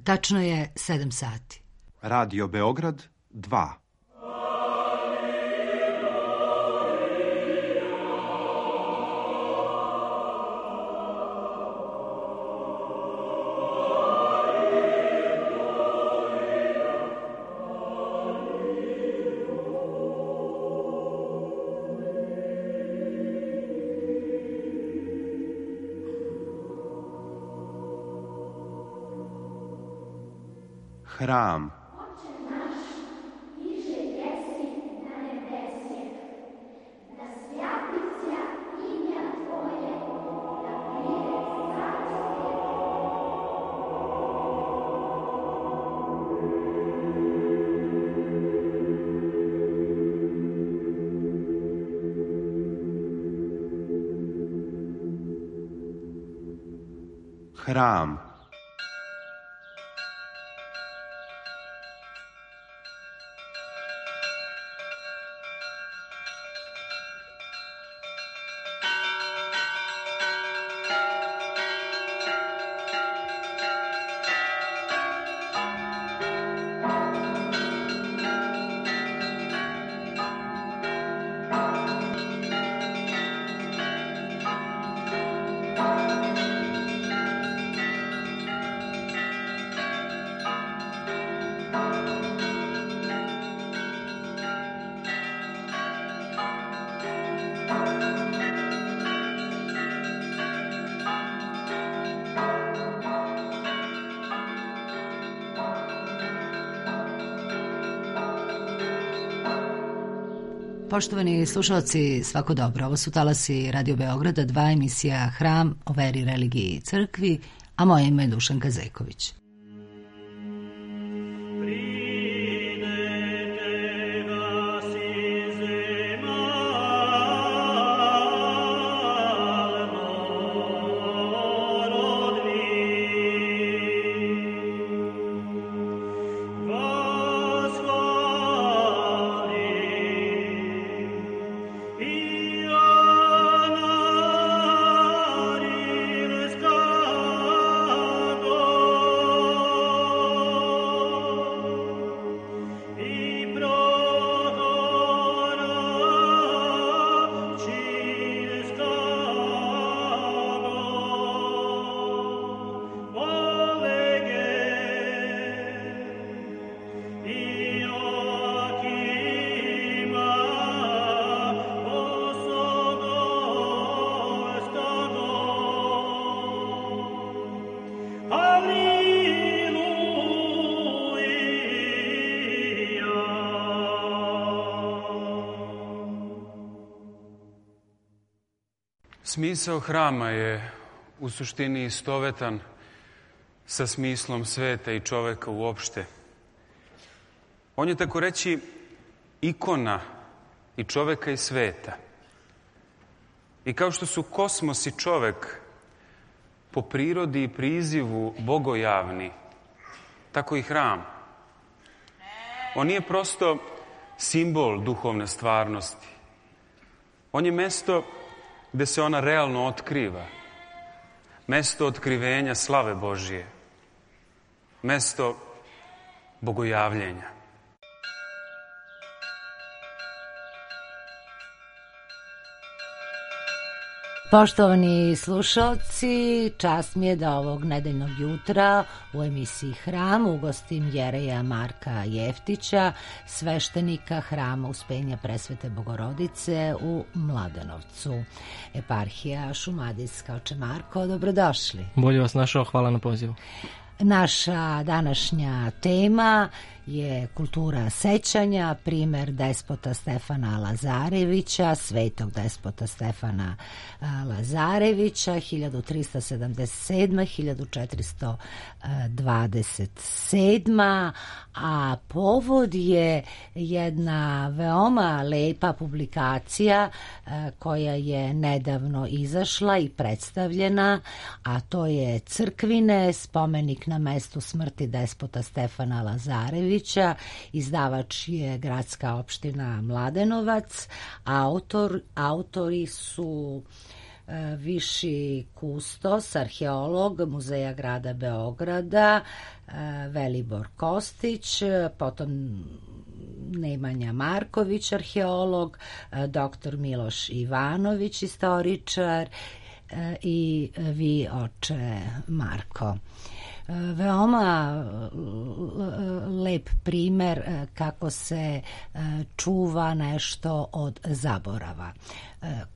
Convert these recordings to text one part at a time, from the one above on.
Tačno je 7 sati. Radio Beograd 2. Hram. Hram. Poštovani slušalci, svako dobro. Ovo su talasi Radio Beograda 2, emisija Hram o veri, religiji i crkvi, a moje ime je Dušanka Zeković. Smisao hrama je u suštini istovetan sa smislom sveta i čoveka uopšte. On je tako reći ikona i čoveka i sveta. I kao što su kosmos i čovek po prirodi i prizivu bogojavni, tako i hram. On nije prosto simbol duhovne stvarnosti. On je mesto gde se ona realno otkriva. Mesto otkrivenja slave Božije. Mesto bogojavljenja. Poštovani slušalci, čast mi je da ovog nedeljnog jutra u emisiji Hram ugostim Jereja Marka Jeftića, sveštenika Hrama Uspenja Presvete Bogorodice u Mladenovcu. Eparhija Šumadijska. Oče Marko, dobrodošli. Bolje vas našao, hvala na pozivu. Naša današnja tema je kultura sećanja, primer despota Stefana Lazarevića, svetog despota Stefana Lazarevića, 1377-1427, a povod je jedna veoma lepa publikacija koja je nedavno izašla i predstavljena, a to je Crkvine, spomenik na mestu smrti despota Stefana Lazarevića. Izdavač je gradska opština Mladenovac, a autori su viši kustos, arheolog Muzeja grada Beograda, Velibor Kostić, potom Nemanja Marković, arheolog, doktor Miloš Ivanović, istoričar i vi, oče Marko. Veoma lep primer kako se čuva nešto od zaborava.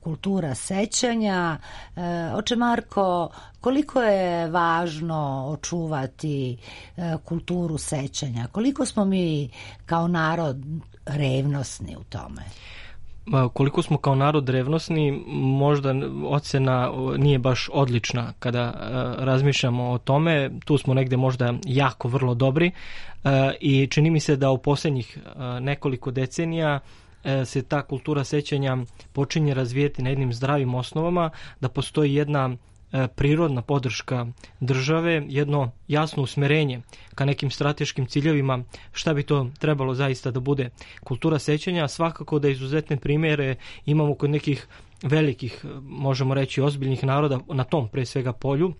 Kultura sećanja. Oče Marko, koliko je važno očuvati kulturu sećanja? Koliko smo mi kao narod revnosni u tome? Koliko smo kao narod revnosni, možda ocena nije baš odlična kada razmišljamo o tome. Tu smo negde možda jako vrlo dobri i čini mi se da u posljednjih nekoliko decenija se ta kultura sećanja počinje razvijeti na jednim zdravim osnovama, da postoji jedna prirodna podrška države, jedno jasno usmerenje ka nekim strateškim ciljevima šta bi to trebalo zaista da bude kultura sećanja. Svakako da izuzetne primjere imamo kod nekih velikih, možemo reći, ozbiljnih naroda na tom pre svega polju.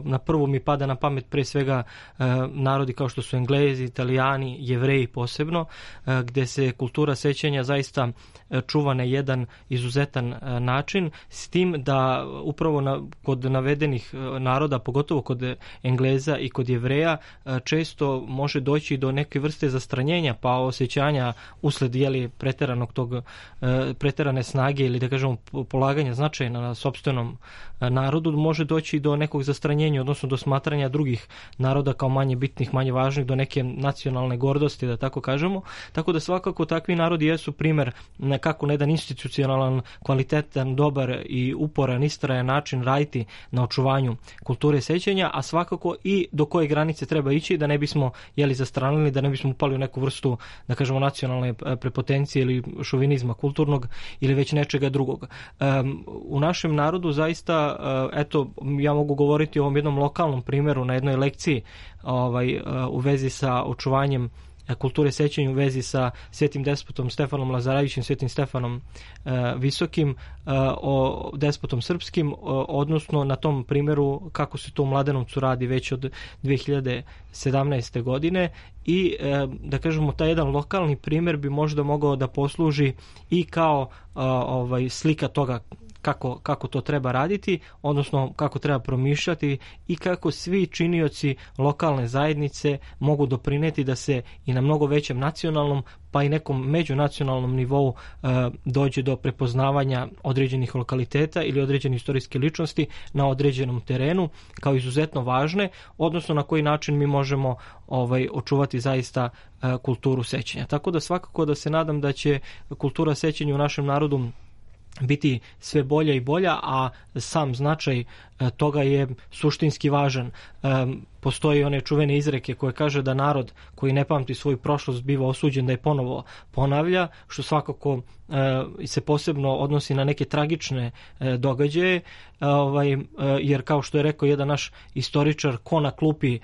Na prvu mi pada na pamet pre svega narodi kao što su Englezi, Italijani, Jevreji posebno, gde se kultura sećanja zaista čuva na jedan izuzetan način, s tim da upravo kod navedenih naroda, pogotovo kod Engleza i kod Jevreja, često može doći do neke vrste zastranjenja pa osjećanja usled preterane snage ili da kažemo polaganja značaja na sopstvenom narodu, može doći do nekog zastranjenja, odnosno do smatranja drugih naroda kao manje bitnih, manje važnih, do neke nacionalne gordosti, da tako kažemo. Tako da svakako takvi narodi jesu primer kako na jedan institucionalan, kvalitetan, dobar i uporan, istrajan način raditi na očuvanju kulture sećanja, a svakako i do koje granice treba ići da ne bismo zastranili, da ne bismo upali u neku vrstu, da kažemo, nacionalne prepotencije ili šovinizma kulturnog ili već nečega drugog. U našem narodu zaista, ja mogu govoriti o ovom jednom lokalnom primjeru na jednoj lekciji u vezi sa očuvanjem kulture sećanja, u vezi sa svetim despotom Stefanom Lazarevićem, svetim Stefanom Visokim, o despotom srpskim, odnosno na tom primjeru kako se to u Mladenovcu radi već od 2017. godine i da kažemo taj jedan lokalni primjer bi možda mogao da posluži i kao slika toga kako to treba raditi, odnosno kako treba promišljati i kako svi činioci lokalne zajednice mogu doprineti da se i na mnogo većem nacionalnom pa i nekom međunacionalnom nivou dođe do prepoznavanja određenih lokaliteta ili određene istorijske ličnosti na određenom terenu kao izuzetno važne, odnosno na koji način mi možemo očuvati zaista kulturu sećanja. Tako da svakako da se nadam da će kultura sećanja u našem narodu biti sve bolja i bolja, a sam značaj toga je suštinski važan. Postoji one čuvene izreke koje kaže da narod koji ne pamti svoju prošlost biva osuđen da je ponovo ponavlja, što svakako se posebno odnosi na neke tragične događaje, jer kao što je rekao jedan naš istoričar, ko na klupi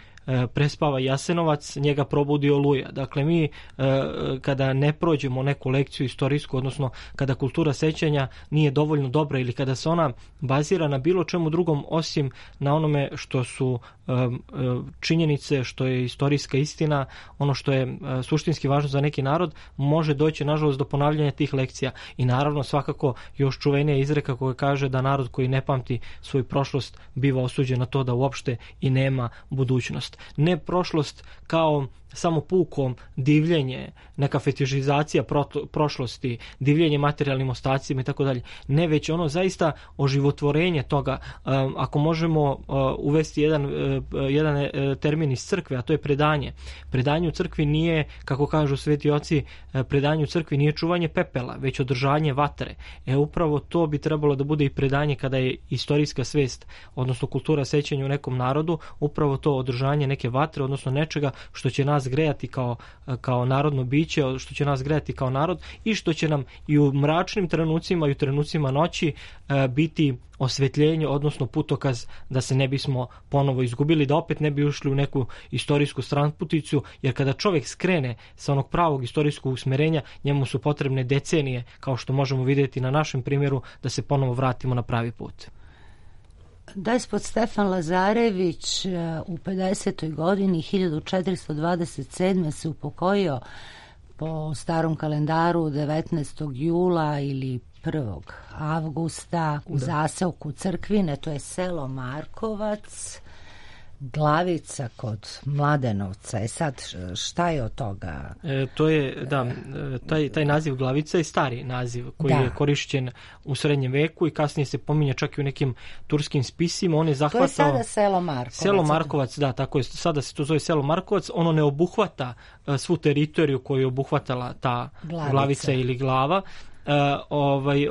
prespava Jasenovac, njega probudi Oluja. Dakle, mi kada ne prođemo neku lekciju istorijsku, odnosno kada kultura sećanja nije dovoljno dobra ili kada se ona bazira na bilo čemu drugom osim na onome što su činjenice, što je istorijska istina, ono što je suštinski važno za neki narod, može doći nažalost do ponavljanja tih lekcija. I naravno svakako još čuvenija izreka koja kaže da narod koji ne pamti svoju prošlost biva osuđen na to da uopšte i nema budućnost. Ne prošlost kao samo puko divljenje, neka fetišizacija prošlosti, divljenje materijalnim ostacima i tako dalje. Ne, već ono zaista oživotvorenje toga. Ako možemo uvesti jedan termin iz crkve, a to je predanje. Predanje u crkvi nije, kako kažu sveti oci, predanje u crkvi nije čuvanje pepela, već održanje vatre. Upravo to bi trebalo da bude i predanje kada je istorijska svest, odnosno kultura sećanja u nekom narodu, upravo to održanje neke vatre, odnosno nečega što će nas nas grejati kao narodno biće, što će nas grejati kao narod i što će nam i u mračnim trenucima i u trenucima noći biti osvetljenje, odnosno putokaz da se ne bismo ponovo izgubili, da opet ne bi ušli u neku istorijsku stranputicu, jer kada čovjek skrene sa onog pravog istorijskog usmerenja, njemu su potrebne decenije, kao što možemo vidjeti na našem primjeru, da se ponovo vratimo na pravi put. Despot Stefan Lazarević u 50. godini 1427. se upokojio po starom kalendaru 19. jula ili 1. avgusta u zaseoku Crkvine, to je selo Markovac, Glavica kod Mladenovca. Sad, šta je od toga? To je, taj naziv Glavica je stari naziv koji je korišćen u srednjem veku i kasnije se pominje čak i u nekim turskim spisima. On je zahvatao... To je sada selo Markovac. Selo Markovac, da, tako je. Sada se to zove selo Markovac. Ono ne obuhvata svu teritoriju koju je obuhvatala ta Glavica ili Glava.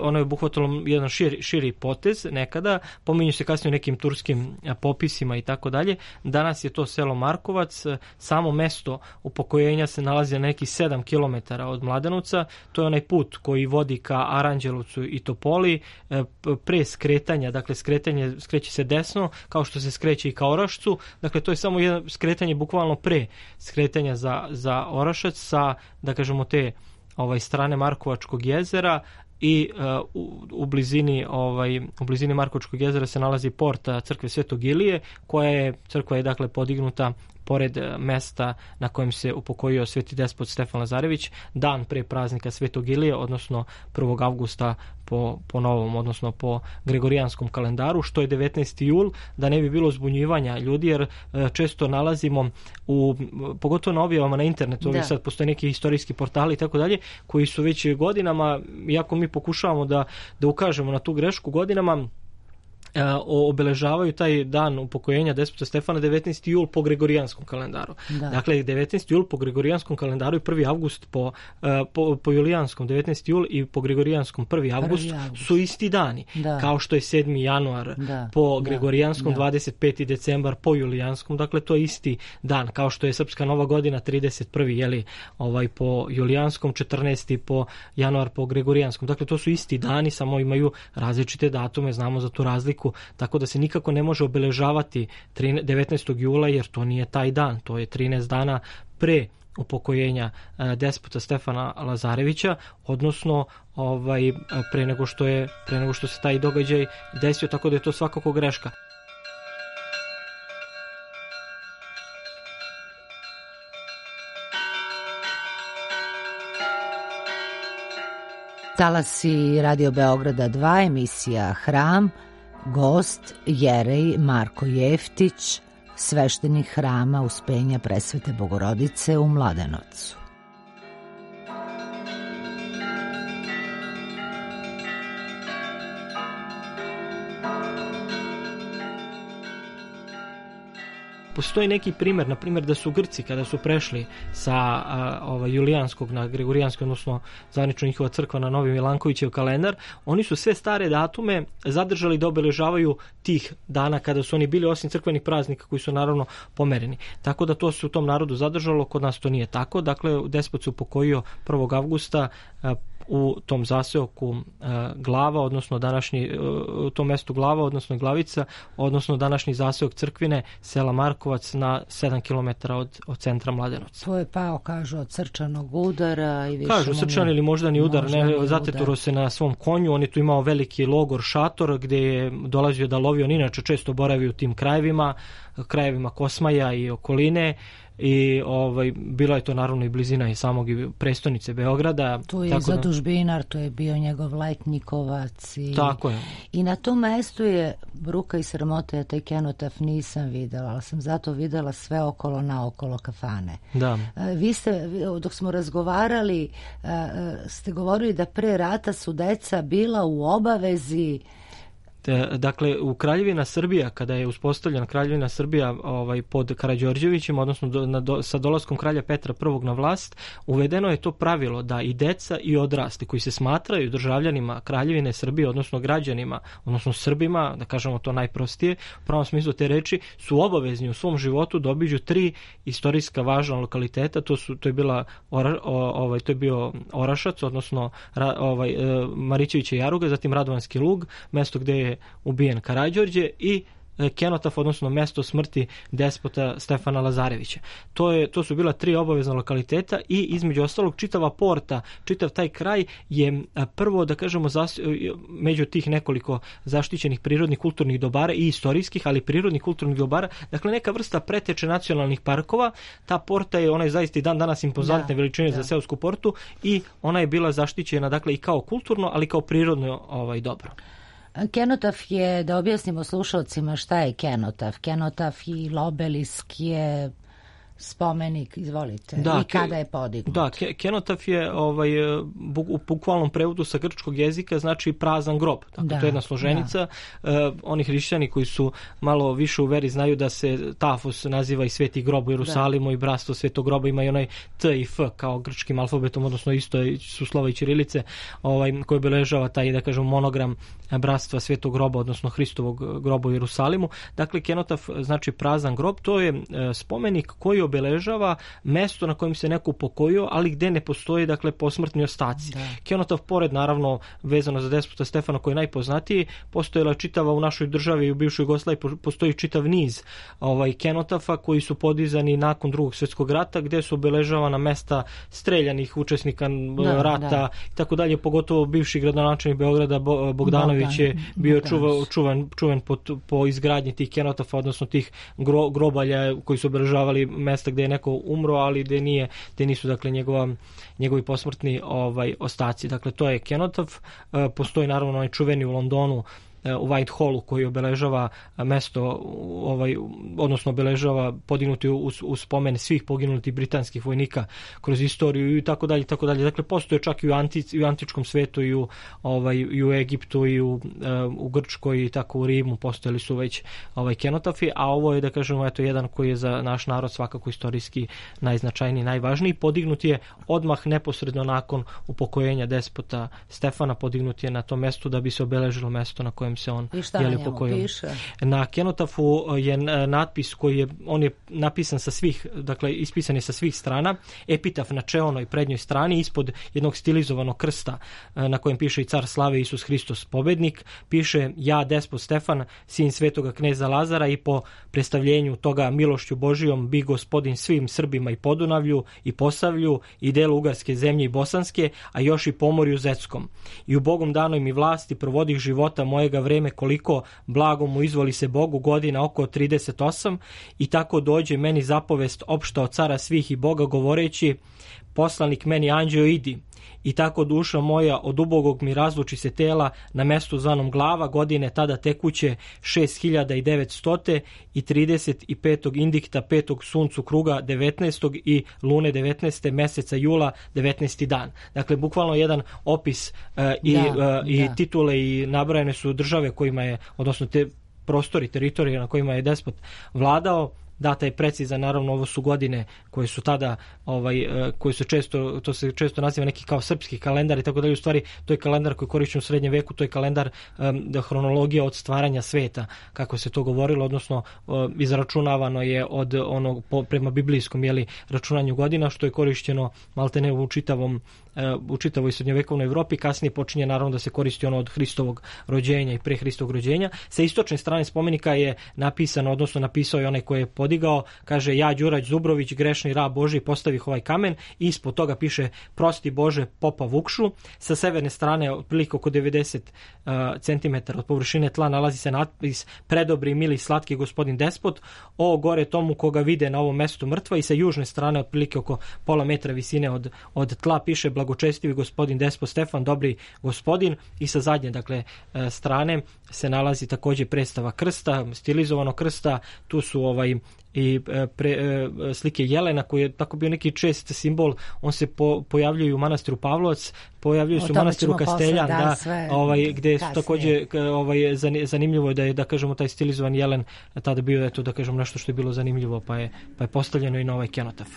Ono je obuhvatilo jedan širi potez nekada, pominju se kasnije u nekim turskim popisima i tako dalje. Danas je to selo Markovac, samo mesto upokojenja se nalazi na neki 7 km od Mladenovca, to je onaj put koji vodi ka Aranđelovcu i Topoli, pre skretanja, dakle skreće se desno, kao što se skreće i ka Orašcu, dakle to je samo jedno skretanje bukvalno pre skretanja za Orašac sa, da kažemo, te strane Markovačkog jezera i u blizini Markovačkog jezera se nalazi porta crkve Svetog Ilije, crkva je dakle podignuta pored mesta na kojem se upokojio sveti despot Stefan Lazarević, dan pre praznika Svetog Ilije, odnosno 1. avgusta po novom, odnosno po gregorijanskom kalendaru, što je 19. jul, da ne bi bilo zbunjivanja ljudi, jer često nalazimo pogotovo na objavama na internetu, ovdje sad postoje neki historijski portali i tako dalje, koji su već godinama, iako mi pokušavamo da ukažemo na tu grešku, godinama obeležavaju taj dan upokojenja despota Stefana 19. jul po gregorijanskom kalendaru. Da. Dakle, 19. jul po gregorijanskom kalendaru i 1. avgust po julijanskom 19. jul i po gregorijanskom 1. avgust su isti dani. Da. Kao što je 7. januar po gregorijanskom, 25. decembar po julijanskom, dakle to je isti dan. Kao što je Srpska nova godina 31. Po julijanskom, 14. po januar po gregorijanskom. Dakle, to su isti dani, samo imaju različite datume, znamo za tu razliku, tako da se nikako ne može obeležavati 19. jula, jer to nije taj dan, to je 13 dana pre upokojenja despota Stefana Lazarevića, odnosno pre nego što se taj događaj desio, tako da je to svakako greška. Talasi Radio Beograda 2, emisija Hram, gost Jerej Marko Jeftić, sveštenik hrama Uspenja Presvete Bogorodice u Mladenovcu. Postoji neki primjer, na primjer da su Grci kada su prešli sa julijanskog na gregorijanski, odnosno zvanično njihova crkva na Novi Milankovićev kalendar, oni su sve stare datume zadržali da obeležavaju tih dana kada su oni bili, osim crkvenih praznika koji su naravno pomereni. Tako da to se u tom narodu zadržalo, kod nas to nije tako. Dakle, despot se upokojio 1. avgusta u tom zaseoku Glava, odnosno u tom mestu Glava, odnosno Glavica, odnosno današnji zaseok Crkvine, sela Markovac na 7 km od centra Mladenovca. To je pao, kažu, od srčanog udara i više... Kažu, srčan ili moždani udar, zateturo se na svom konju, on je tu imao veliki logor, šator, gdje je dolazio da lovi, on inače često boravi u tim krajevima Kosmaja i okoline, i bila je to naravno i blizina i samog prestonice Beograda. Tu je zadužbinar, tu je bio njegov letnikovac. Tako je. I na tom mestu je bruka i sramota, ja taj kenotaf nisam videla, ali sam zato videla sve okolo naokolo kafane. Da. Vi ste, dok smo razgovarali, ste govorili da pre rata su deca bila u obavezi Dakle, u Kraljevina Srbija, kada je uspostavljena Kraljevina Srbija pod Karađorđevićem, odnosno sa dolaskom kralja Petra I na vlast, uvedeno je to pravilo da i deca i odrasli koji se smatraju državljanima Kraljevine Srbije, odnosno građanima, odnosno Srbima, da kažemo to najprostije, u pravom smislu te reči, su obavezni u svom životu da obiđu 3 istorijska važna lokaliteta. To je bio Orašac, odnosno Marićevića Jaruga, zatim Radovanski lug, mesto gde je ubijen Karađorđe, i Kenotaf, odnosno mesto smrti despota Stefana Lazarevića. To su bila 3 obavezna lokaliteta i između ostalog čitava Porta, čitav taj kraj je prvo, da kažemo, među tih nekoliko zaštićenih prirodnih kulturnih dobara i istorijskih, ali prirodnih kulturnih dobara, dakle neka vrsta preteče nacionalnih parkova. Ta Porta je, ona je zaista i dan danas impozantne veličine za seosku Portu i ona je bila zaštićena, dakle, i kao kulturno, ali kao prirodno dobro. Kenotaf je, da objasnimo slušalcima šta je Kenotaf. Kenotaf i obelisk je spomenik, izvolite, i kada je podignut. Da, Kenotaf je u bukvalnom prevodu sa grčkog jezika znači prazan grob. Dakle, to je jedna složenica. Oni hrišćani koji su malo više u veri znaju da se Tafos naziva i Sveti grob u Jerusalimu i bratstvo Svetog groba, ima i onaj T i F kao grčkim alfabetom, odnosno isto su slova i ćirilice, koji obeležava taj, da kažem, monogram bratstva Svetog groba, odnosno Hristovog groba u Jerusalimu. Dakle, Kenotaf znači prazan grob. To je spomenik koji obeležava mesto na kojem se neko upokojio, ali gde ne postoji, dakle, posmrtni ostaci. Kenotaf, pored, naravno, vezano za despota Stefana koji je najpoznatiji, postojala čitava u našoj državi i u bivšoj Jugoslaviji, postoji čitav niz Kenotafa koji su podizani nakon Drugog svjetskog rata, gde su obeležavana mesta streljanih učesnika rata i tako dalje, pogotovo bivši gradonačelnik Beograda Bogdanović je bio čuven po izgradnji tih Kenotafa, odnosno tih grobalja koji su obeležavali mesta gde je neko umro, ali gde nisu, dakle, njegovi posmrtni ostaci. Dakle, to je Kenotaf. Postoji, naravno, onaj čuveni u Londonu, u Whitehallu, koji obeležava mesto, odnosno obeležava podignuti u spomen svih poginulih britanskih vojnika kroz istoriju i tako dalje, tako dalje. Dakle, postoje čak i u antičkom svetu i u Egiptu i u Grčkoj i tako u Rimu postojali su već Kenotafi, a ovo je, da kažemo, jedan koji je za naš narod svakako istorijski najznačajniji, najvažniji. Podignut je odmah neposredno nakon upokojenja despota Stefana, podignut je na to mesto da bi se obeležilo mesto na kojem se on piše? Na Kenotafu je natpis on je napisan sa svih, dakle, ispisan je sa svih strana, epitaf na čeonoj prednjoj strani, ispod jednog stilizovanog krsta na kojem piše i car slave Isus Hristos pobednik, piše ja, despot Stefan, sin svetoga kneza Lazara, i po predstavljenju toga milošću Božijom bi gospodin svim Srbima i Podunavlju i Posavlju i delu Ugarske zemlje i Bosanske, a još i Pomorju Zetskom. I u Bogom danoj mi vlasti provodih života mojega vreme koliko blago mu izvoli se Bogu, godina oko 38, i tako dođe meni zapovest opšta od cara svih i Boga, govoreći poslanik meni anđeo idi. I tako duša moja od ubogog mi razluči se tela na mestu zvanom glava, godine tada tekuće 6900 i 35. indikta 5. suncu kruga 19. i lune 19. meseca jula 19. dan. Dakle, bukvalno jedan opis i titule i nabrojene su države kojima je, odnosno te prostori, teritorije na kojima je despot vladao. Data je precizna, naravno, ovo su godine koje su tada, koje su često, to se često naziva neki kao srpski kalendar i tako dalje. U stvari, to je kalendar koji korišćen u srednjem veku, to je kalendar hronologija od stvaranja sveta, kako se to govorilo, odnosno izračunavano je od onog prema biblijskom računanju godina, što je korišćeno maltene u čitavoj srednjovekovnoj Evropi. Kasnije počinje, naravno, da se koristi ono od Hristovog rođenja i pre Hristovog rođenja. Sa istočne strane spomenika je napisano, odnosno napisao je onaj koji je podigao, kaže ja, Đurać Zubrović, grešni rab Božji, postavih ovaj kamen, i ispod toga piše prosti Bože popa Vukšu. Sa severne strane, otprilike oko 90 cm od površine tla, nalazi se natpis predobri, mili, slatki gospodin despot, o gore tomu koga vide na ovom mestu mrtva, i sa južne strane, otprilike oko pola metra visine od tla, piše blagočestivi gospodin despot Stefan, dobri gospodin, i sa zadnje, dakle, strane se nalazi takođe predstava krsta, stilizovano krsta. Tu su i slike jelena koji je tako bio neki čest simbol, on se pojavljuje u manastiru Pavlovac, pojavljuje se u manastiru Kasteljan, gde su takođe zanimljivo je da kažemo taj stilizovan jelen tada bio da kažemo nešto što je bilo zanimljivo, pa je postavljeno i na ovaj kenotaf.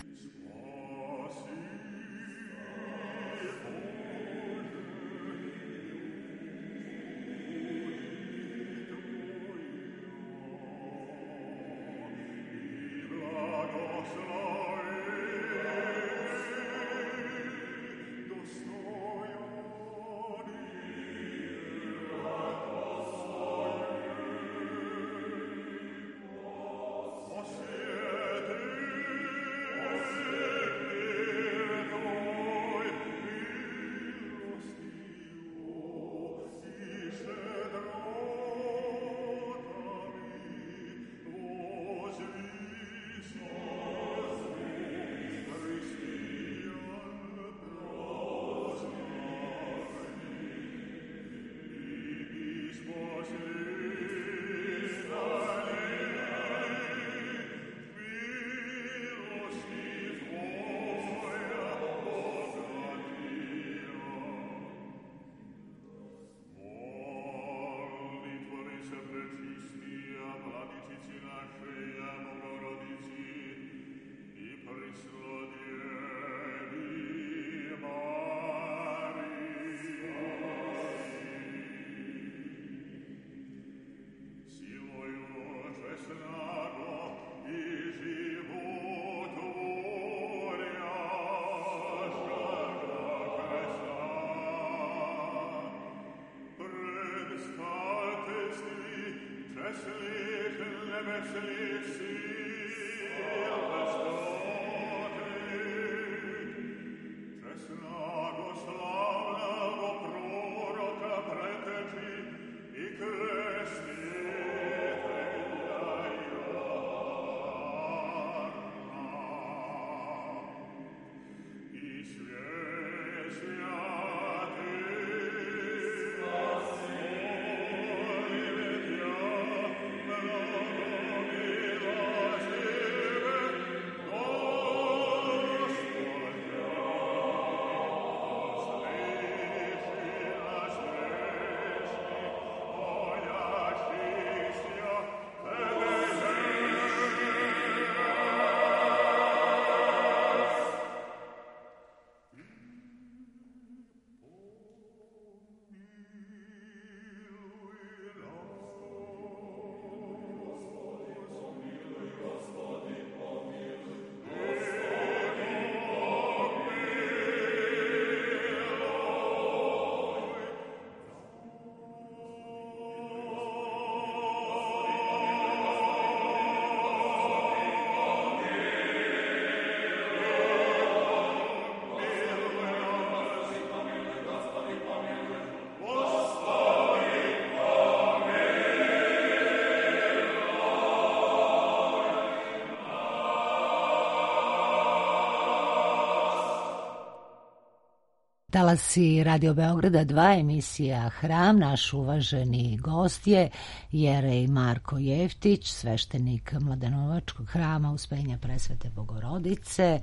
Talasi Radio Beograda 2, emisija Hram. Naš uvaženi gost je jerej Marko Jeftić, sveštenik Mladenovačkog hrama Uspenja Presvete Bogorodice.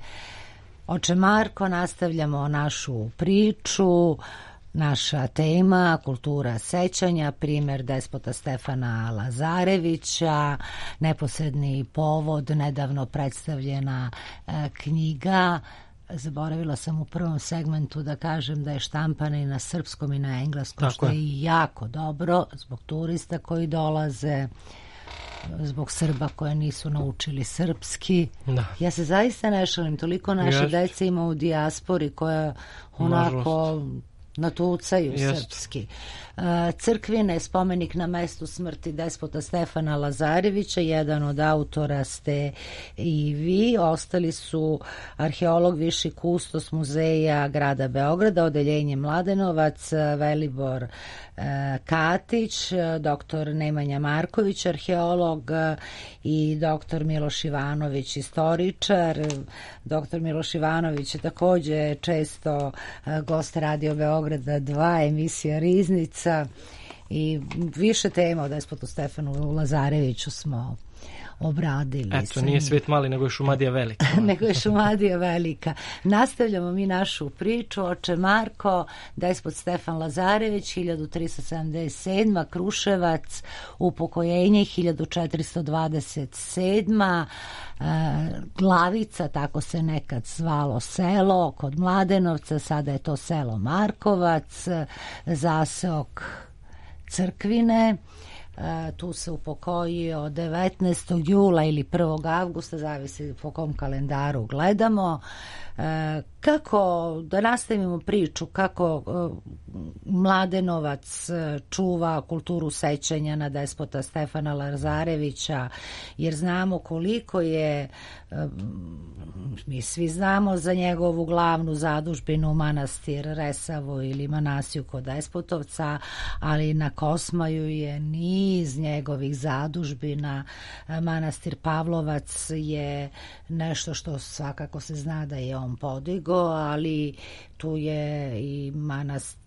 Oče Marko, nastavljamo našu priču. Naša tema, kultura sećanja, primjer despota Stefana Lazarevića, neposredni povod, nedavno predstavljena knjiga. Zaboravila sam u prvom segmentu da kažem da je štampana i na srpskom i na engleskom, što je jako dobro zbog turista koji dolaze, zbog Srba koje nisu naučili srpski. Da. Ja se zaista ne šalim, toliko naše dece ima u dijaspori koja onako natucaju srpski. Crkvine, spomenik na mestu smrti despota Stefana Lazarevića, jedan od autora ste i vi, ostali su arheolog, viši kustos muzeja grada Beograda, odeljenje Mladenovac, Velibor Katić, doktor Nemanja Marković, arheolog, i doktor Miloš Ivanović, istoričar. Doktor Miloš Ivanović je takođe često gost Radio Beograda 2, emisija Riznica, i više tema o despotu Stefanu Lazareviću smo obradili. Eto, nije svet mali, nego je Šumadija velika. Nego je Šumadija velika. Nastavljamo mi našu priču. Oče Marko, despot Stefan Lazarević, 1377. Kruševac, upokojenje 1427. Glavica, tako se nekad zvalo selo, kod Mladenovca, sada je to selo Markovac, zaseok Crkvine. Tu se upokojio 19. jula ili 1. avgusta, zavisi po kom kalendaru gledamo. Kako, da nastavimo priču, kako Mladenovac čuva kulturu sećanja na despota Stefana Lazarevića, jer znamo koliko je, mi svi znamo za njegovu glavnu zadužbinu manastir Resavo ili Manasiju kod Despotovca, ali na Kosmaju je niz njegovih zadužbina. Manastir Pavlovac je nešto što svakako se zna da je on podigo, ali tu je i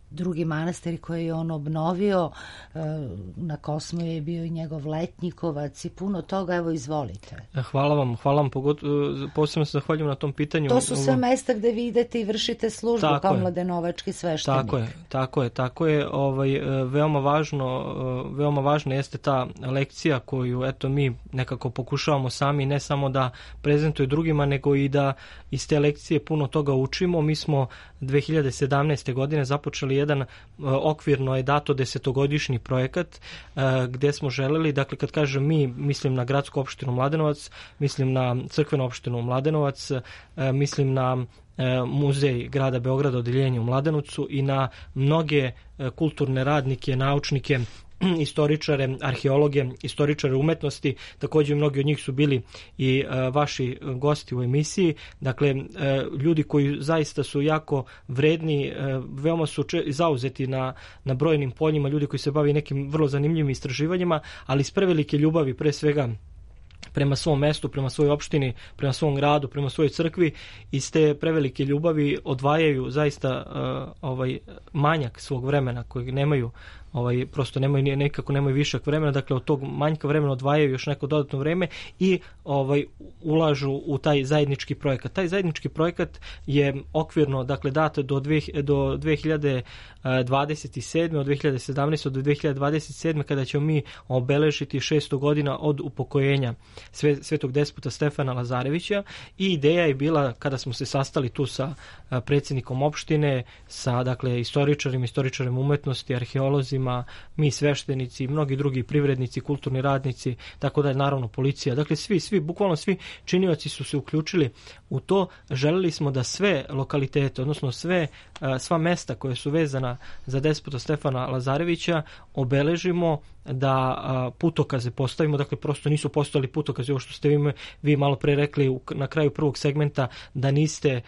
drugi manastir koji je on obnovio. Na Kosmaju je bio i njegov Letnjikovac i puno toga. Evo, izvolite. Hvala vam, posebno se zahvaljujem na tom pitanju. To su sve mesta gde vi idete i vršite službu kao mladenovački sveštenik. Tako je. Veoma važno jeste ta lekcija koju eto mi nekako pokušavamo sami, ne samo da prezentuje drugima, nego i da iz te lekcije puno toga učimo. Mi smo 2017. godine započeli jedan okvirno je dato 10-godišnji projekat gde smo želeli, dakle kad kažem mi, mislim na gradsku opštinu Mladenovac, mislim na crkvenu opštinu Mladenovac, mislim na muzej grada Beograda, odeljenje u Mladenovcu i na mnoge kulturne radnike, naučnike, istoričare, arheologe, istoričare umetnosti, također mnogi od njih su bili i vaši gosti u emisiji, dakle ljudi koji zaista su jako vredni, veoma su zauzeti na brojnim poljima, ljudi koji se bavi nekim vrlo zanimljivim istraživanjima, ali iz prevelike ljubavi, pre svega prema svom mestu, prema svojoj opštini, prema svom gradu, prema svojoj crkvi, iz te prevelike ljubavi odvajaju zaista manjak svog vremena kojeg nemaju, prosto nemaju višak vremena, dakle od tog manjka vremena odvajaju još neko dodatno vreme i ulažu u taj zajednički projekat. Taj zajednički projekat je okvirno, dakle, dat do 2027. od 2017. do 2027. kada ćemo mi obeležiti 600 godina od upokojenja svetog despota Stefana Lazarevića, i ideja je bila, kada smo se sastali tu sa predsjednikom opštine, sa dakle istoričarima umetnosti, arheolozima, mi sveštenici, mnogi drugi privrednici, kulturni radnici, tako da je naravno policija. Dakle, bukvalno svi činioci su se uključili u to. Želeli smo da sve lokalitete, odnosno sva mesta koje su vezana za despota Stefana Lazarevića obeležimo, da putokaze postavimo, dakle prosto nisu postojali putokaze, ovo što ste vi malo pre rekli na kraju prvog segmenta, da niste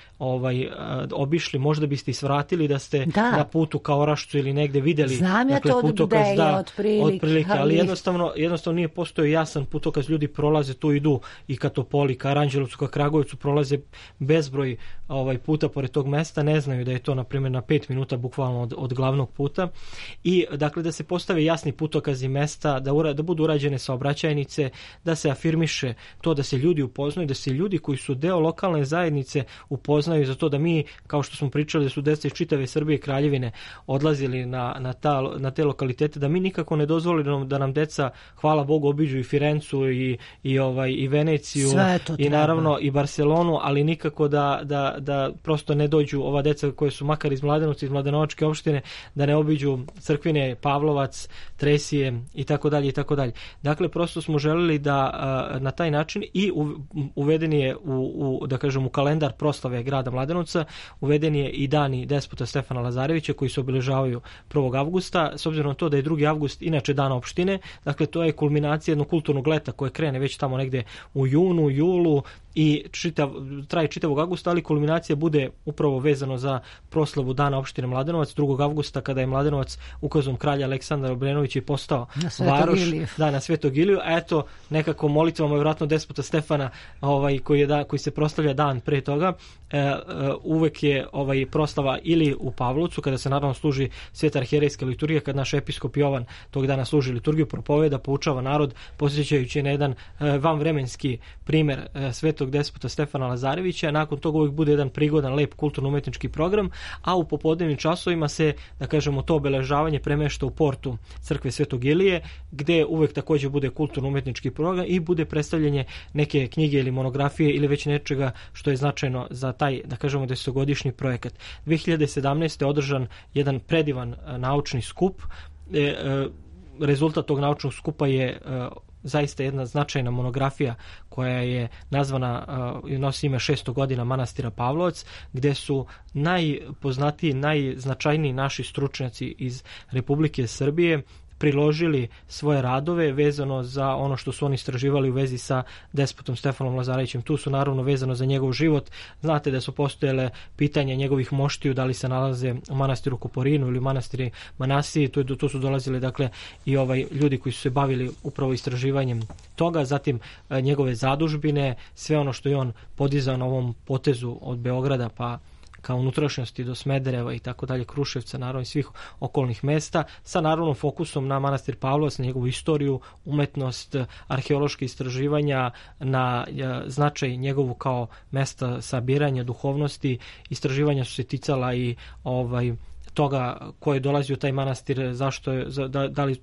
obišli, možda biste svratili da ste na putu ka Orašcu ili negde videli. Znam ja to putokaz, otprilike, ali jednostavno nije postojao jasan putokaz, ljudi prolaze, tu idu i ka Topoli, ka Aranđelovcu, ka Kragujevcu, prolaze bezbroj puta pored tog mesta, ne znaju da je to na primjer na 5 minuta bukvalno od glavnog puta, i dakle da se postave jasni putokazi mesta, da budu urađene saobraćajnice, da se afirmiše to, da se ljudi upoznaju, da se ljudi koji su deo lokalne zajednice upoznaju za to, da mi, kao što smo pričali, da su deca iz čitave Srbije i Kraljevine odlazili na te lokalitete, da mi nikako ne dozvolimo da nam deca, hvala Bogu, obiđu i Firencu i Veneciju i naravno i Barcelonu, ali nikako da prosto ne dođu ova deca koje su makar iz Mladenovca, iz Mladenovačke opštine, da ne obiđu Crkvine, Pavlovac, Tresije i tako dalje i tako dalje. Dakle, prosto smo želeli da na taj način, i uveden je da kažem u kalendar proslave grada Mladenovca, uveden je i dani despota Stefana Lazarevića koji se obeležavaju 1. avgusta, s obzirom na to da je 2. avgust inače dan opštine, dakle to je kulminacija jednog kulturnog leta koje krene već tamo negde u junu, julu i traje čitavog avgusta, ali kulminacija bude upravo vezano za proslavu dana opštine Mladenovac 2. avgusta, kada je Mladenovac ukazom kralja Aleksandra Obrenovića i postao varoš na Svetog Iliju, a eto nekako molitvama vjerojatno despota Stefana koji se proslavlja dan pre toga, uvek je proslava ili u Pavlovcu, kada se naravno služi sveta arhijerejska liturgija, kad naš episkop Jovan tog dana služi liturgiju, propoveda, poučava narod, posjećajući na jedan vanvremenski primer svetog despota Stefana Lazarevića. Nakon toga uvijek bude jedan prigodan, lep kulturno-umetnički program, a u popodnevnim časovima se, da kažemo, to obeležavanje premešta u portu crkve Svetog Ilije, gde uvek takođe bude kulturno-umetnički program i bude predstavljanje neke knjige ili monografije ili već nečega što je značajno za taj, da kažemo, 10-godišnji projekat. 2017. je održan jedan predivan naučni skup. Rezultat tog naučnog skupa je zaista jedna značajna monografija koja je nazvana, nosi ime 600 godina manastira Pavlovac, gde su najpoznatiji, najznačajniji naši stručnjaci iz Republike Srbije priložili svoje radove vezano za ono što su oni istraživali u vezi sa despotom Stefanom Lazarevićem. Tu su naravno vezano za njegov život. Znate da su postojele pitanja njegovih moštiju, da li se nalaze u manastiru Koporinu ili u manastiri Manasiji. Tu su dolazili dakle i ljudi koji su se bavili upravo istraživanjem toga, zatim njegove zadužbine, sve ono što je on podizao na ovom potezu od Beograda pa kao unutrašnjosti do Smedereva i tako dalje, Kruševca, naravno i svih okolnih mesta, sa naravno fokusom na manastir Pavlovac, na njegovu istoriju, umetnost, arheološke istraživanja, na značaj njegovu kao mesta sabiranja duhovnosti. Istraživanja su se ticala i toga ko je dolazio u taj manastir, zašto je,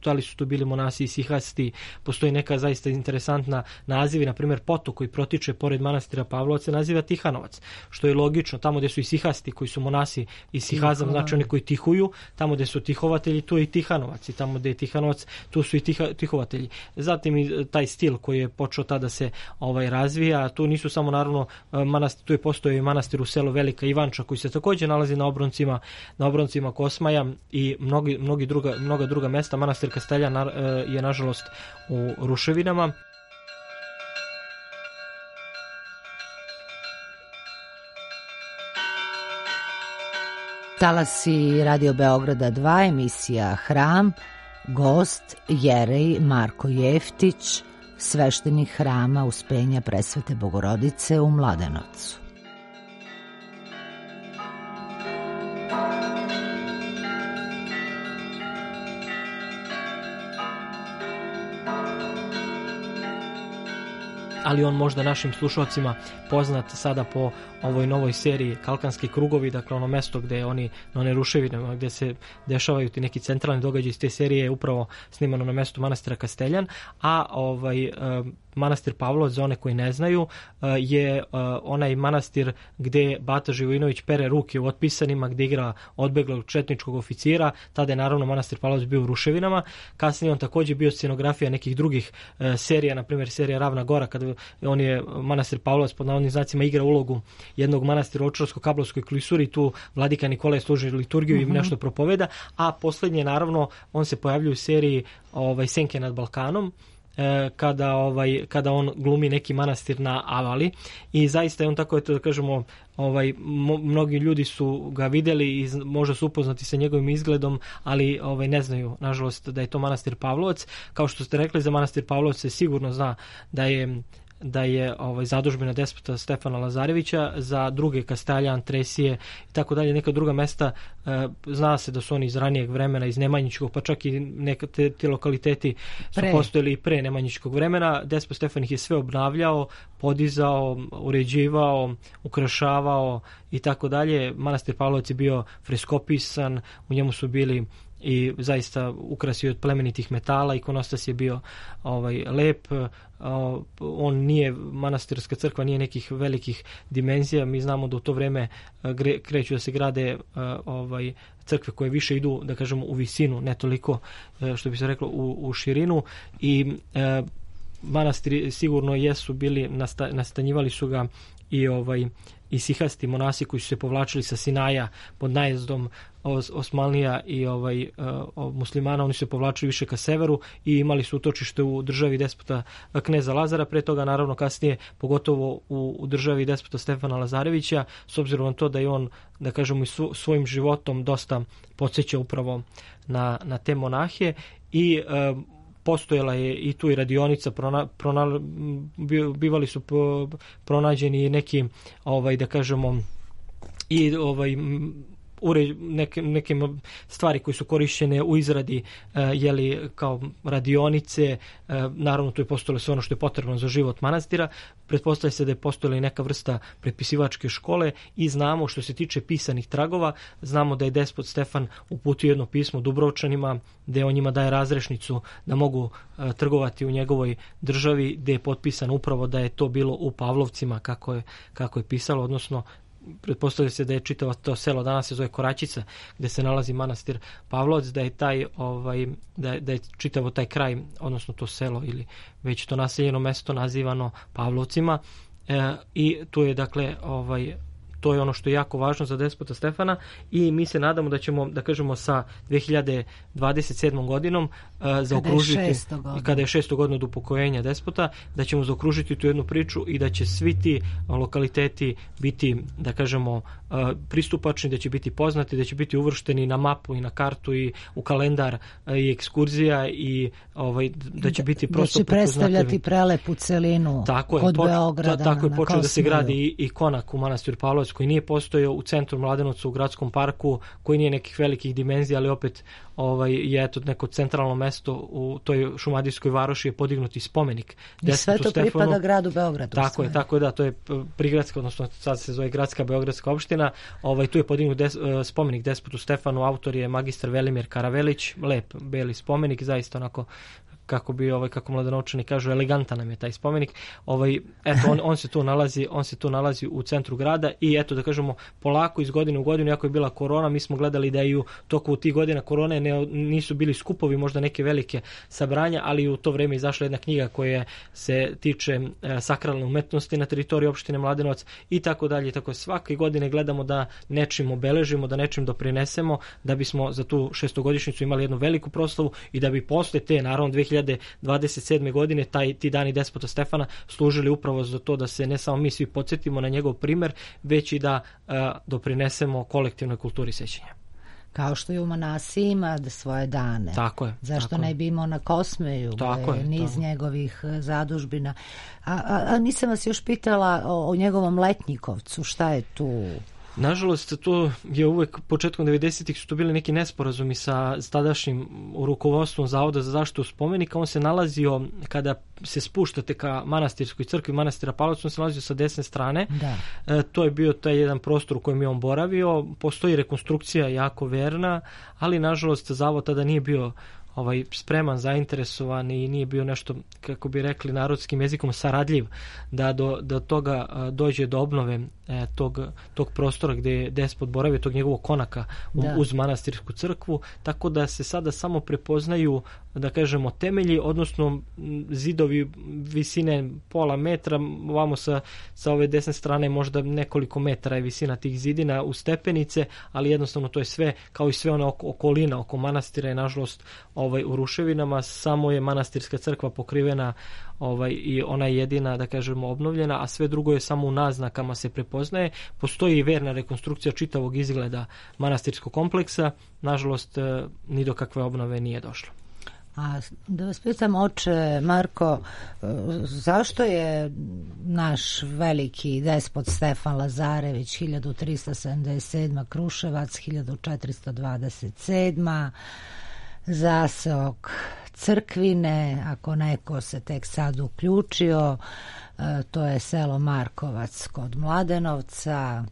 da li su tu bili monasi i sihasti. Postoji neka zaista interesantna nazivi, na primjer potok koji protiče pored manastira Pavlovca naziva Tihanovac, što je logično, tamo gde su i sihasti koji su monasi i sihazam, znači oni koji tihuju, tamo gde su tihovatelji tu je i Tihanovac, i tamo gde je Tihanovac tu su i tihovatelji. Zatim i taj stil koji je počeo tada se razvija, tu nisu samo naravno manastir, tu je postojao i manastir u selu Velika Ivanča koji se takođe nalazi na obroncima Kosmaja i mnoga druga mesta. Manastir Kasteljan je nažalost u ruševinama. Talasi Radio Beograda 2, emisija Hram, gost Jerej Marko Jeftić, sveštenik Hrama Uspenja Presvete Bogorodice u Mladenovcu. Ali on možda našim slušalcima poznat sada po ovoj novoj seriji Kalkanski krugovi, dakle ono mesto gde oni, na one ruševine, gde se dešavaju ti neki centralni događaji iz te serije je upravo snimano na mestu manastira Kasteljan, a manastir Pavlovac, za one koji ne znaju, je onaj manastir gde Bata Živojinović pere ruke u otpisanima, gde igra odbeglog četničkog oficira. Tada je naravno manastir Pavlovac bio u ruševinama. Kasnije on takođe bio scenografija nekih drugih serija, na primjer serija Ravna Gora, kada on je manastir Pavlovac pod navodnim znacima igra ulogu jednog manastira u Očarsko-Kablovskoj klisuri, tu vladika Nikolaj služi liturgiju i nešto propoveda, a poslednje naravno on se pojavljuje u seriji Senke nad Balkanom, kada on glumi neki manastir na Avali i zaista je on tako, da kažemo, mnogi ljudi su ga videli i možda su upoznati sa njegovim izgledom, ali ne znaju, nažalost, da je to manastir Pavlovac. Kao što ste rekli, za manastir Pavlovac se sigurno zna da je zadužbina despota Stefana Lazarevića, za druge Kasteljan, Tresije i tako dalje, neka druga mesta, zna se da su oni iz ranijeg vremena, iz Nemanjičkog, pa čak i neka ti lokaliteti su postojali i pre Nemanjičkog vremena. Despot Stefan ih je sve obnavljao, podizao, uređivao, ukrašavao i tako dalje. Manastir Pavlovac je bio freskopisan, u njemu su bili i zaista ukrasi od plemenitih metala, ikonostas je bio lep. On nije, manastirska crkva nije nekih velikih dimenzija. Mi znamo da u to vreme kreću da se grade crkve koje više idu, da kažemo, u visinu, ne toliko, što bi se reklo, u širinu, i manastiri sigurno jesu bili, nastanjivali su ga i sihasti monasi koji su se povlačili sa Sinaja pod najezdom Osmanlija i muslimana. Oni su se povlačili više ka severu i imali su utočište u državi despota kneza Lazara, pre toga naravno kasnije pogotovo u državi despota Stefana Lazarevića, s obzirom na to da je on, da kažemo, i svojim životom dosta podsjeća upravo na te monahe. I postojala je i tu i radionica, bivali su pronađeni neki, da kažemo, i neke stvari koje su korišćene u izradi kao radionice, naravno tu je postojalo sve ono što je potrebno za život manastira. Pretpostavlja se da je postojala i neka vrsta prepisivačke škole i znamo što se tiče pisanih tragova, znamo da je despot Stefan uputio jedno pismo Dubrovčanima gde on njima daje razrešnicu da mogu trgovati u njegovoj državi, gde je potpisano upravo da je to bilo u Pavlovcima kako je pisalo, odnosno pretpostavlja se da je čitavo to selo, danas se zove Koračica, gde se nalazi manastir Pavlovac, da je da je čitavo taj kraj, odnosno to selo ili već to naseljeno mesto nazivano Pavlovcima, i tu je dakle to je ono što je jako važno za despota Stefana i mi se nadamo da ćemo, da kažemo, sa 2027. godinom zaokružiti, kada je 600 godina od upokojenja despota, da ćemo zaokružiti tu jednu priču i da će svi ti lokaliteti biti, da kažemo, pristupačni, da će biti poznati, da će biti uvršteni na mapu i na kartu i u kalendar i ekskurzija i da će biti prosto da će predstavljati prelepu celinu od Beograda. Tako je počeo da se gradi i konak u manastiru Pavlovac, koji nije postojao u centru Mladenovca u gradskom parku, koji nije nekih velikih dimenzija, ali opet je eto neko centralno mesto u toj šumadijskoj varoši je podignut i spomenik. I sve to pripada gradu Beogradu. Tako je, da, to je prigradska, odnosno sad se zove gradska beogradska opština. Tu je podignut spomenik despotu Stefanu, autor je magistar Velimir Karavelić, lep beli spomenik, zaista onako kako Mladenovčani kažu, elegantan nam je taj spomenik. Eto, on se tu nalazi u centru grada i eto, da kažemo, polako iz godine u godinu, iako je bila korona, mi smo gledali da i u toku tih godina korone nisu bili skupovi, možda neke velike sabranja, ali u to vreme izašla jedna knjiga koja se tiče sakralne umetnosti na teritoriji opštine Mladenovac i tako dalje. Tako svake godine gledamo da nečim obeležimo, da nečim doprinesemo, da bismo za tu 600-godišnjicu imali jednu veliku proslavu i da bi posle te, naravno, 2027. godine ti dani despota Stefana služili upravo za to da se ne samo mi svi podsjetimo na njegov primer, već i da doprinesemo kolektivnoj kulturi sećanja. Kao što je u Manasiji ima svoje dane. Tako je. Zašto ne bi imao na Kosmeju? Niz njegovih zadužbina. A nisam vas još pitala o njegovom Letnjikovcu. Šta je tu? Nažalost, to je uvek početkom 90-ih su to bili neki nesporazumi sa tadašnjim rukovodstvom Zavoda za zaštitu spomenika. On se nalazio, kada se spuštate ka manastirskoj crkvi manastira Pavlovca, on se nalazio sa desne strane. To je bio taj jedan prostor u kojem je on boravio. Postoji rekonstrukcija jako verna, ali nažalost Zavod tada nije bio spreman, zainteresovan i nije bio nešto, kako bi rekli narodskim jezikom, saradljiv da do toga dođe do obnove tog prostora gdje je despot boravio, tog njegovog konaka uz manastirsku crkvu, tako da se sada samo prepoznaju, da kažemo, temelji, odnosno zidovi visine pola metra, ovamo sa ove desne strane možda nekoliko metara je visina tih zidina u stepenice, ali jednostavno to je sve, kao i sve ona okolina oko manastira je nažalost u ruševinama, samo je manastirska crkva pokrivena i ona je jedina, da kažemo, obnovljena, a sve drugo je samo u naznakama se prepoznaje. Postoji i verna rekonstrukcija čitavog izgleda manastirskog kompleksa, nažalost ni do kakve obnove nije došlo. A da vas pitam, oče Marko, zašto je naš veliki despot Stefan Lazarević 1377. Kruševac, 1427. zaseok Crkvine, ako neko se tek sad uključio, to je selo Markovac kod Mladenovca,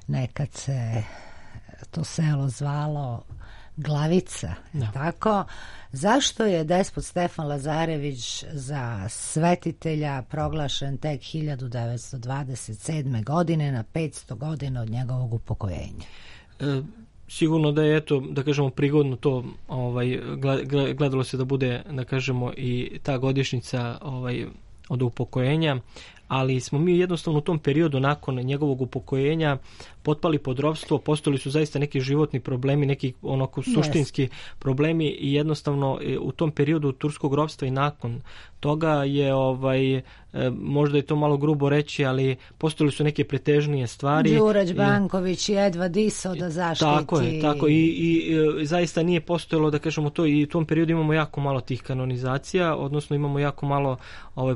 nekad se to selo zvalo Glavica, tako? Zašto je despot Stefan Lazarević za svetitelja proglašen tek 1927. godine na 500 godina od njegovog upokojenja? Sigurno da je, eto, da kažemo, prigodno to, gledalo se da bude, da kažemo, i ta godišnjica od upokojenja, ali smo mi jednostavno u tom periodu nakon njegovog upokojenja potpali pod ropstvo, postojali su zaista neki životni problemi, neki suštinski problemi i jednostavno u tom periodu turskog ropstva i nakon toga je, možda je to malo grubo reći, ali postojali su neke pretežnije stvari. Đurać Banković i Edva Diso da zaštiti. Tako i zaista nije postojalo, da kažemo, to, i u tom periodu imamo jako malo tih kanonizacija, odnosno imamo jako malo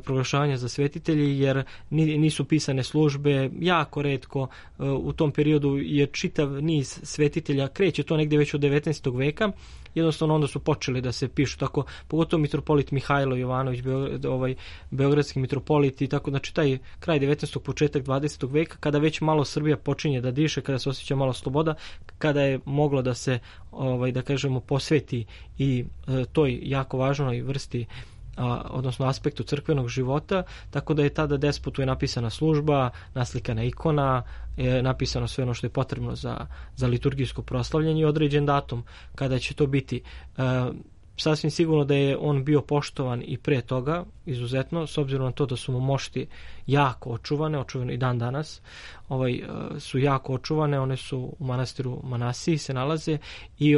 proglašavanja za svetitelji, jer nisu pisane službe, jako retko. U tom periodu je čitav niz svetitelja, kreće to negdje već od 19. veka, jednostavno onda su počeli da se pišu tako, pogotovo mitropolit Mihajlo Jovanović, beogradski mitropolit i tako, znači taj kraj 19. početak 20. veka, kada već malo Srbija počinje da diše, kada se osjeća malo sloboda, kada je moglo da se da kažemo posveti i toj jako važnoj vrsti odnosno aspektu crkvenog života, tako da je tada despotu je napisana služba, naslikana ikona, je napisano sve ono što je potrebno za liturgijsko proslavljanje i određen datum kada će to biti. Sasvim sigurno da je on bio poštovan i pre toga, izuzetno, s obzirom na to da su mu mošti jako očuvane i dan danas, su jako očuvane, one su u manastiru Manasiji se nalaze i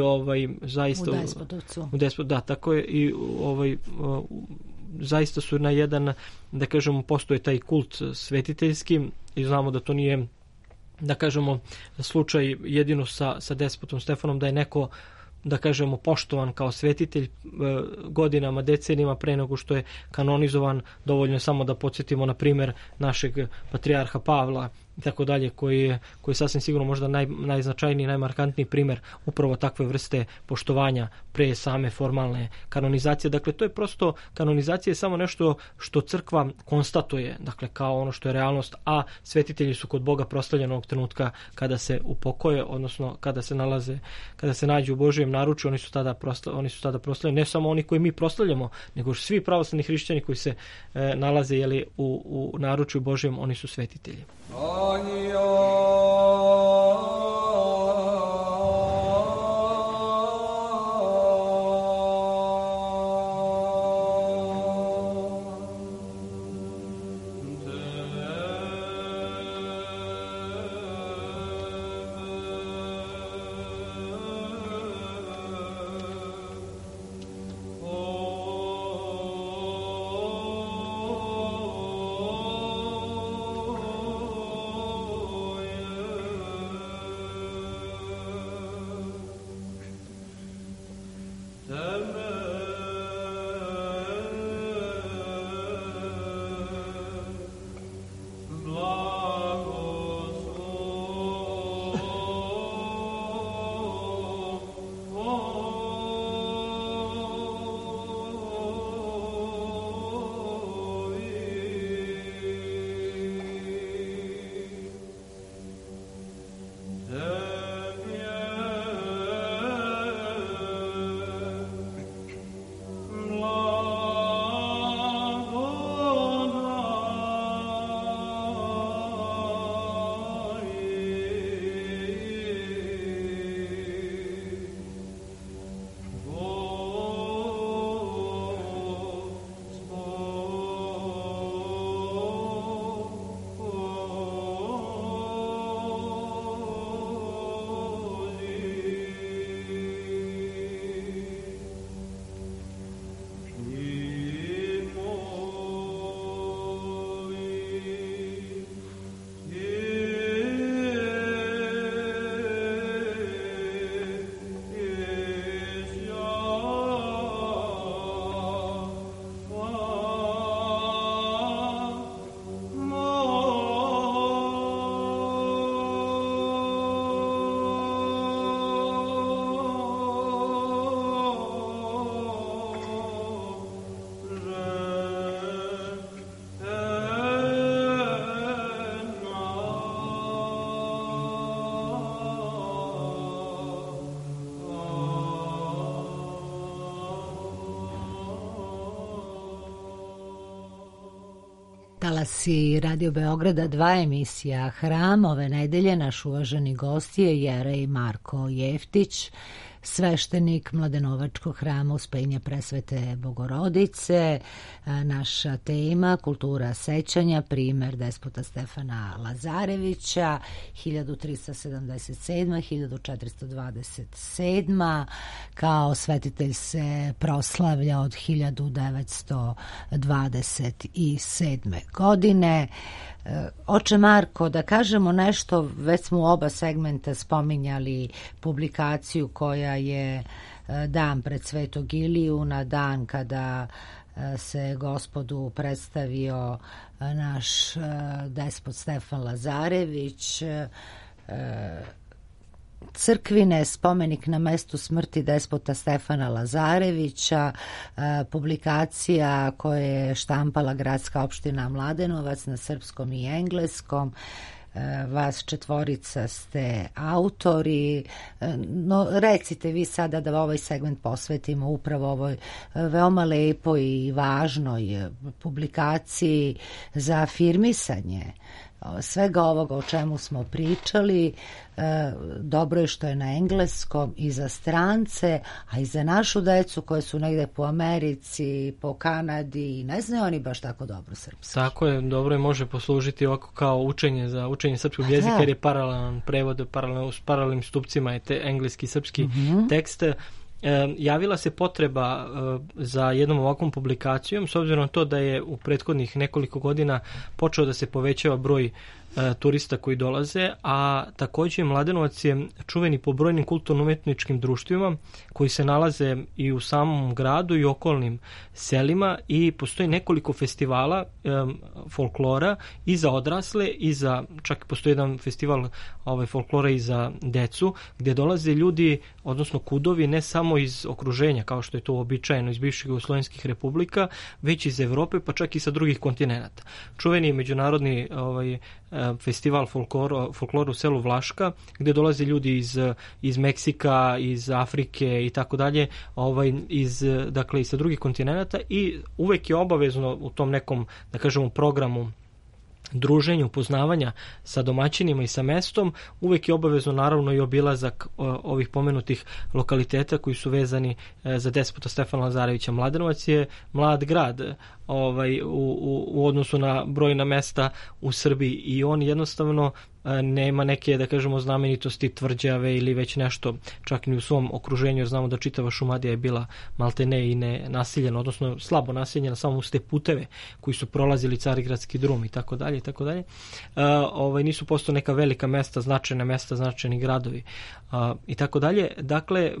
zaista... U Despotovcu. Da, tako je i zaista su na jedan, da kažemo, postoje taj kult svetiteljski i znamo da to nije, da kažemo, slučaj jedino sa despotom Stefanom, da je neko, da kažemo, poštovan kao svetitelj godinama, decenijama pre nego što je kanonizovan. Dovoljno je samo da podsjetimo na primjer našeg patrijarha Pavla i tako dalje, koji je sasvim sigurno možda najznačajniji, najmarkantniji primjer upravo takve vrste poštovanja pre same formalne kanonizacije. Dakle, to je prosto, kanonizacija je samo nešto što crkva konstatuje, dakle, kao ono što je realnost, a svetitelji su kod Boga proslavljeni onog trenutka kada se upokoje, odnosno kada se nađu u Božijem naručju, oni su tada proslavljeni, ne samo oni koji mi proslavljamo, nego svi pravoslavni hrišćani koji se nalaze u naručju Božijem, oni su svetitelji. Talasi Radio Beograda 2, emisija Hram. Ove nedelje naš uvaženi gost je jerej Marko Jeftić, sveštenik Mladenovačkog hrama Uspenja Presvete Bogorodice. Naša tema kultura sećanja, primer despota Stefana Lazarevića 1377-1427. Kao svetitelj se proslavlja od 1927. godine. Oče Marko, da kažemo nešto, već smo u oba segmenta spominjali publikaciju koja je dan pred Svetog Iliju, na dan kada se gospodu predstavio naš despot Stefan Lazarević, crkvine spomenik na mestu smrti despota Stefana Lazarevića, publikacija koje je štampala gradska opština Mladenovac na srpskom i engleskom. Vas četvorica ste autori, no recite vi sada da ovaj segment posvetimo upravo ovoj veoma lepoj i važnoj publikaciji za afirmisanje svega ovoga o čemu smo pričali. Dobro je što je na engleskom i za strance, a i za našu decu koje su negde po Americi, po Kanadi, ne znaju oni baš tako dobro srpski. Tako je, dobro je, može poslužiti ovako kao učenje za učenje srpskog jezika, jer je paralelan prevod, s paralelnim stupcima je te engleski i srpski tekst. Javila se potreba za jednom ovakvom publikacijom, s obzirom na to da je u prethodnih nekoliko godina počeo da se povećava broj turista koji dolaze, a također Mladenovac je čuveni po brojnim kulturno-umetničkim društvima koji se nalaze i u samom gradu i okolnim selima, i postoji nekoliko festivala folklora i za odrasle i za, čak postoji jedan festival folklora i za decu, gdje dolaze ljudi, odnosno kudovi, ne samo iz okruženja kao što je to uobičajeno iz bivših jugoslovenskih republika, već iz Evrope, pa čak i sa drugih kontinenata. Čuveni je međunarodni festival folklora u selu Vlaška, gdje dolaze ljudi iz Meksika, iz Afrike i tako dalje, dakle i sa drugih kontinenata, i uvek je obavezno u tom nekom, da kažemo, programu druženju, upoznavanja sa domaćinima i sa mestom, uvek je obavezno naravno i obilazak ovih pomenutih lokaliteta koji su vezani za despota Stefana Lazarevića. Mladenovac je mlad grad u odnosu na brojna mesta u Srbiji, i on jednostavno nema neke, da kažemo, znamenitosti tvrđave ili već nešto, čak ni u svom okruženju, jer znamo da čitava Šumadija je bila maltene i ne naseljena, odnosno slabo naseljena, samo uz te puteve koji su prolazili Carigradski drum i tako dalje i tako dalje. Nisu posto neka velika mesta, značajni gradovi i tako dalje. Dakle,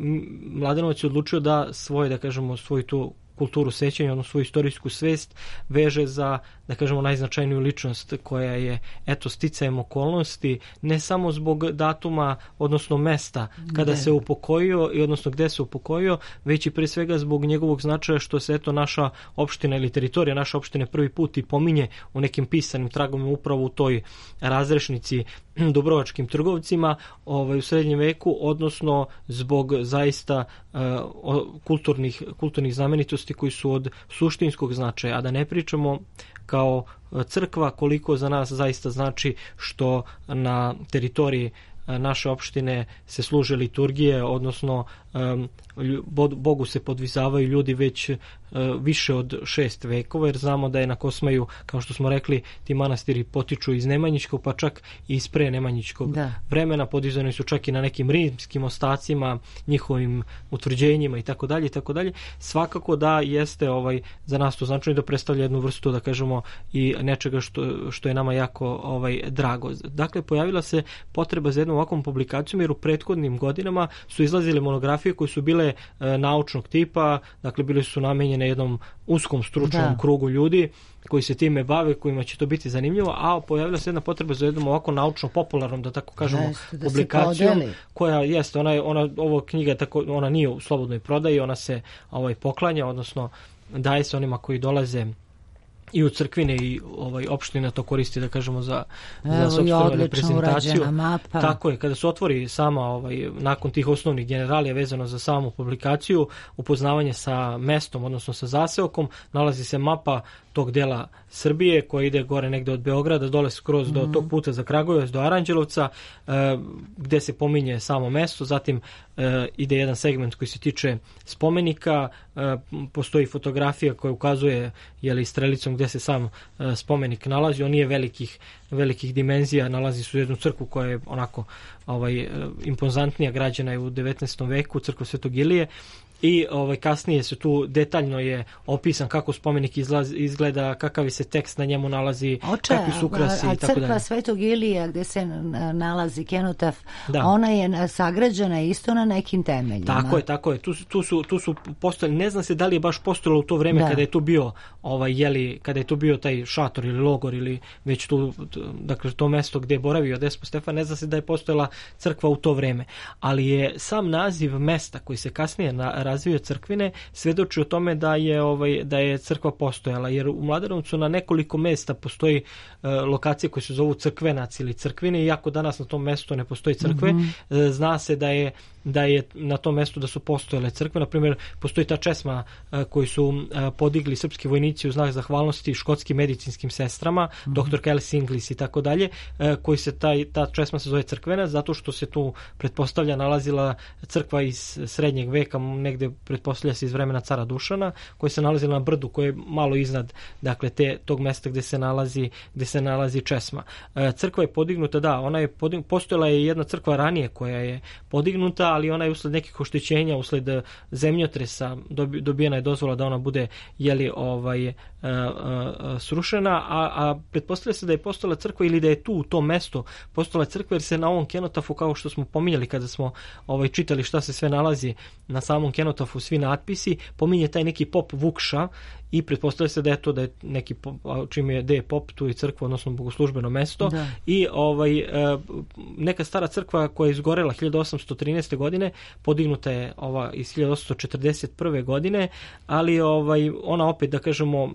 Mladenovac je odlučio da svoju tu kulturu sećanja, odnosno svoju istorijsku svest veže za, da kažemo, najznačajniju ličnost koja je, eto, sticajem okolnosti, ne samo zbog datuma, odnosno mesta kada se upokojio i odnosno gde se upokojio, već i pre svega zbog njegovog značaja što se, eto, naša opština ili teritorija naše opštine prvi put i pominje u nekim pisanim tragovima upravo u toj razrešnici Dubrovačkim trgovcima u srednjem veku, odnosno zbog zaista kulturnih znamenitosti koji su od suštinskog značaja, a da ne pričamo kao crkva koliko za nas zaista znači što na teritoriji naše opštine se služe liturgije, odnosno Bogu se podvizavaju ljudi već više od 6 vekova, jer znamo da je na Kosmaju, kao što smo rekli, ti manastiri potiču iz Nemanjićkog, pa čak i iz pre Nemanjićkog vremena, podizani su čak i na nekim rimskim ostacima, njihovim utvrđenjima i tako dalje i tako dalje. Svakako da jeste za nas to značajno, da predstavlja jednu vrstu, da kažemo, i nečega što je nama jako drago. Dakle, pojavila se potreba za jednom ovakvom publikacijom, jer u prethodnim godinama su izlazile monografije koje su bile naučnog tipa, dakle bile su namenjene jednom uskom stručnom krugu ljudi koji se time bave, kojima će to biti zanimljivo, a pojavila se jedna potreba za jednom ovako naučno-popularnom, da tako kažemo, publikacijom, koja jeste, ovo knjiga, ona nije u slobodnoj prodaji, ona se poklanja, odnosno daje se onima koji dolaze i u crkvine i opština to koristi, da kažemo, za sopstvenu reprezentaciju. Tako je, kada se otvori sama nakon tih osnovnih generalija vezano za samu publikaciju, upoznavanje sa mestom, odnosno sa zaseokom, nalazi se mapa tog dela Srbije koja ide gore negde od Beograda, dole skroz do tog puta za Kragujevac, do Aranđelovca, gde se pominje samo mesto, zatim ide jedan segment koji se tiče spomenika, postoji fotografija koja ukazuje strelicom gde se sam spomenik nalazi, on nije velikih dimenzija, nalazi se u jednu crkvu koja je onako impozantnija, građena je u 19. veku, crkva Svetog Ilije, i kasnije se tu detaljno je opisan kako spomenik izgleda, kakav se tekst na njemu nalazi, kakvi su ukrasi i tako dalje. Crkva Svetog Ilija gde se nalazi kenotaf, ona je sagrađena isto na nekim temeljima. Tako je. Tu su postojali, ne znam se da li je baš postojalo u to vreme kada je tu bio kada je tu bio taj šator ili logor ili već tu, dakle to mesto gde je boravio Despot Stefan, ne zna se da je postojala crkva u to vreme, ali je sam naziv mesta koji se kasnije razvio crkvine svedoči o tome da je crkva postojala, jer u Mladenovcu na nekoliko mesta postoji lokacije koje se zovu Crkvenac ili Crkvine, iako danas na tom mestu ne postoji crkve. Zna se da je na tom mestu da su postojale crkve. Na primjer, postoji ta česma koju su podigli srpski vojnici u znak zahvalnosti škotskim medicinskim sestrama, dr. Kelly Inglis i tako dalje, koji se ta česma se zove Crkvenac, zato što se tu pretpostavlja nalazila crkva iz srednjeg veka, negde pretpostavlja se iz vremena cara Dušana, koja se nalazila na brdu koje je malo iznad, dakle, tog mesta gde se nalazi česma. Crkva je podignuta, postojala je jedna crkva ranije koja je podignuta, ali ona je usled nekih oštećenja, usled zemljotresa dobijena je dozvola da ona bude srušena, a pretpostavlja se da je postojala crkva ili da je tu u tom mestu postojala crkva, jer se na ovom kenotafu, kao što smo pominjali kada smo čitali šta se sve nalazi na samom kenotafu, svi natpisi, pominje taj neki pop Vukša i pretpostavlja se da je neki čim je pop, tu je crkva, odnosno bogoslužbeno mesto. I neka stara crkva koja je izgorela 1813. godine, podignuta je iz 1841. godine, ali ona opet, da kažemo,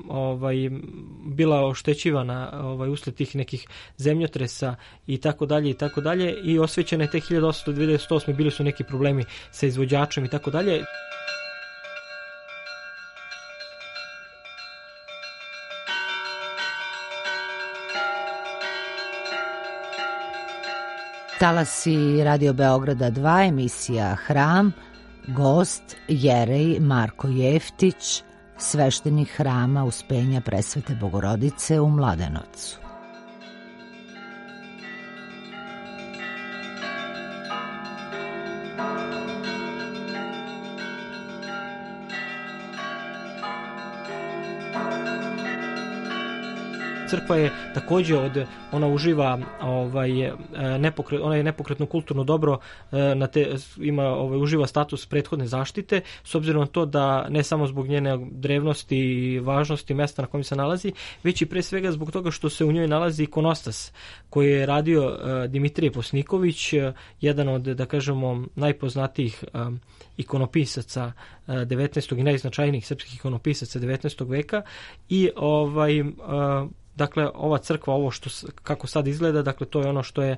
bila oštećivana usled tih nekih zemljotresa i tako dalje i osvećena je te 1898. bili su neki problemi sa izvođačem i tako dalje. Talasi Radio Beograda 2, emisija Hram, gost Jerej Marko Jeftić, sveštenik Hrama Uspenja Presvete Bogorodice u Mladenovcu. Crkva je također ona uživa ona je nepokretno kulturno dobro, uživa status prethodne zaštite, s obzirom na to da ne samo zbog njene drevnosti i važnosti mesta na kojem se nalazi, već i pre svega zbog toga što se u njoj nalazi ikonostas koji je radio Dimitrije Posniković, jedan od, da kažemo, najpoznatijih ikonopisaca 19. i najznačajnijih srpskih ikonopisaca 19. veka i dakle, ova crkva, ovo kako sad izgleda, dakle, to je ono što je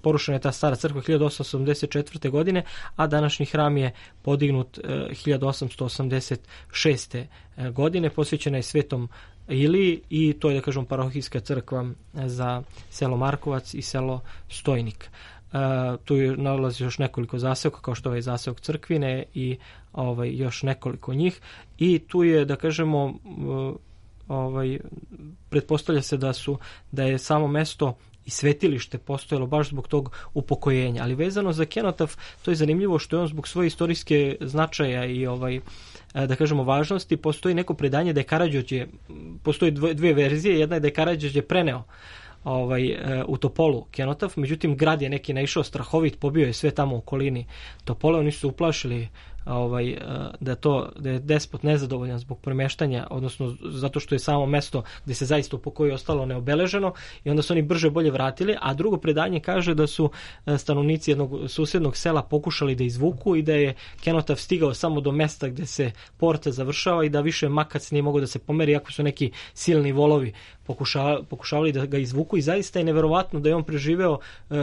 porušena je ta stara crkva 1884. godine, a današnji hram je podignut 1886. godine, posvećena je Svetom Iliji i to je, da kažem, parohijska crkva za selo Markovac i selo Stojnik. Tu nalazi još nekoliko zaseoka, kao što je zaseok Crkvine i još nekoliko njih, i tu je, da kažemo, pretpostavlja se da je samo mesto i svetilište postojalo baš zbog tog upokojenja. Ali vezano za kenotaf, to je zanimljivo što je on zbog svoje istorijske značaja i da kažemo važnosti, postoji neko predanje da je Karađorđe, postoji dve verzije, jedna je da je Karađorđe preneo u Topolu kenotaf, međutim grad je neki naišao strahovit, pobio je sve tamo u okolini Topole, oni su se uplašili da je despot nezadovoljan zbog premeštanja, odnosno zato što je samo mesto gde se zaista upokojio ostalo neobeleženo, i onda su oni brže bolje vratili, a drugo predanje kaže da su stanovnici jednog susednog sela pokušali da izvuku i da je kenotaf stigao samo do mesta gde se porta završava i da više makac nije mogao da se pomeri, iako su neki silni volovi pokušavali da ga izvuku, i zaista je neverovatno da je on preživeo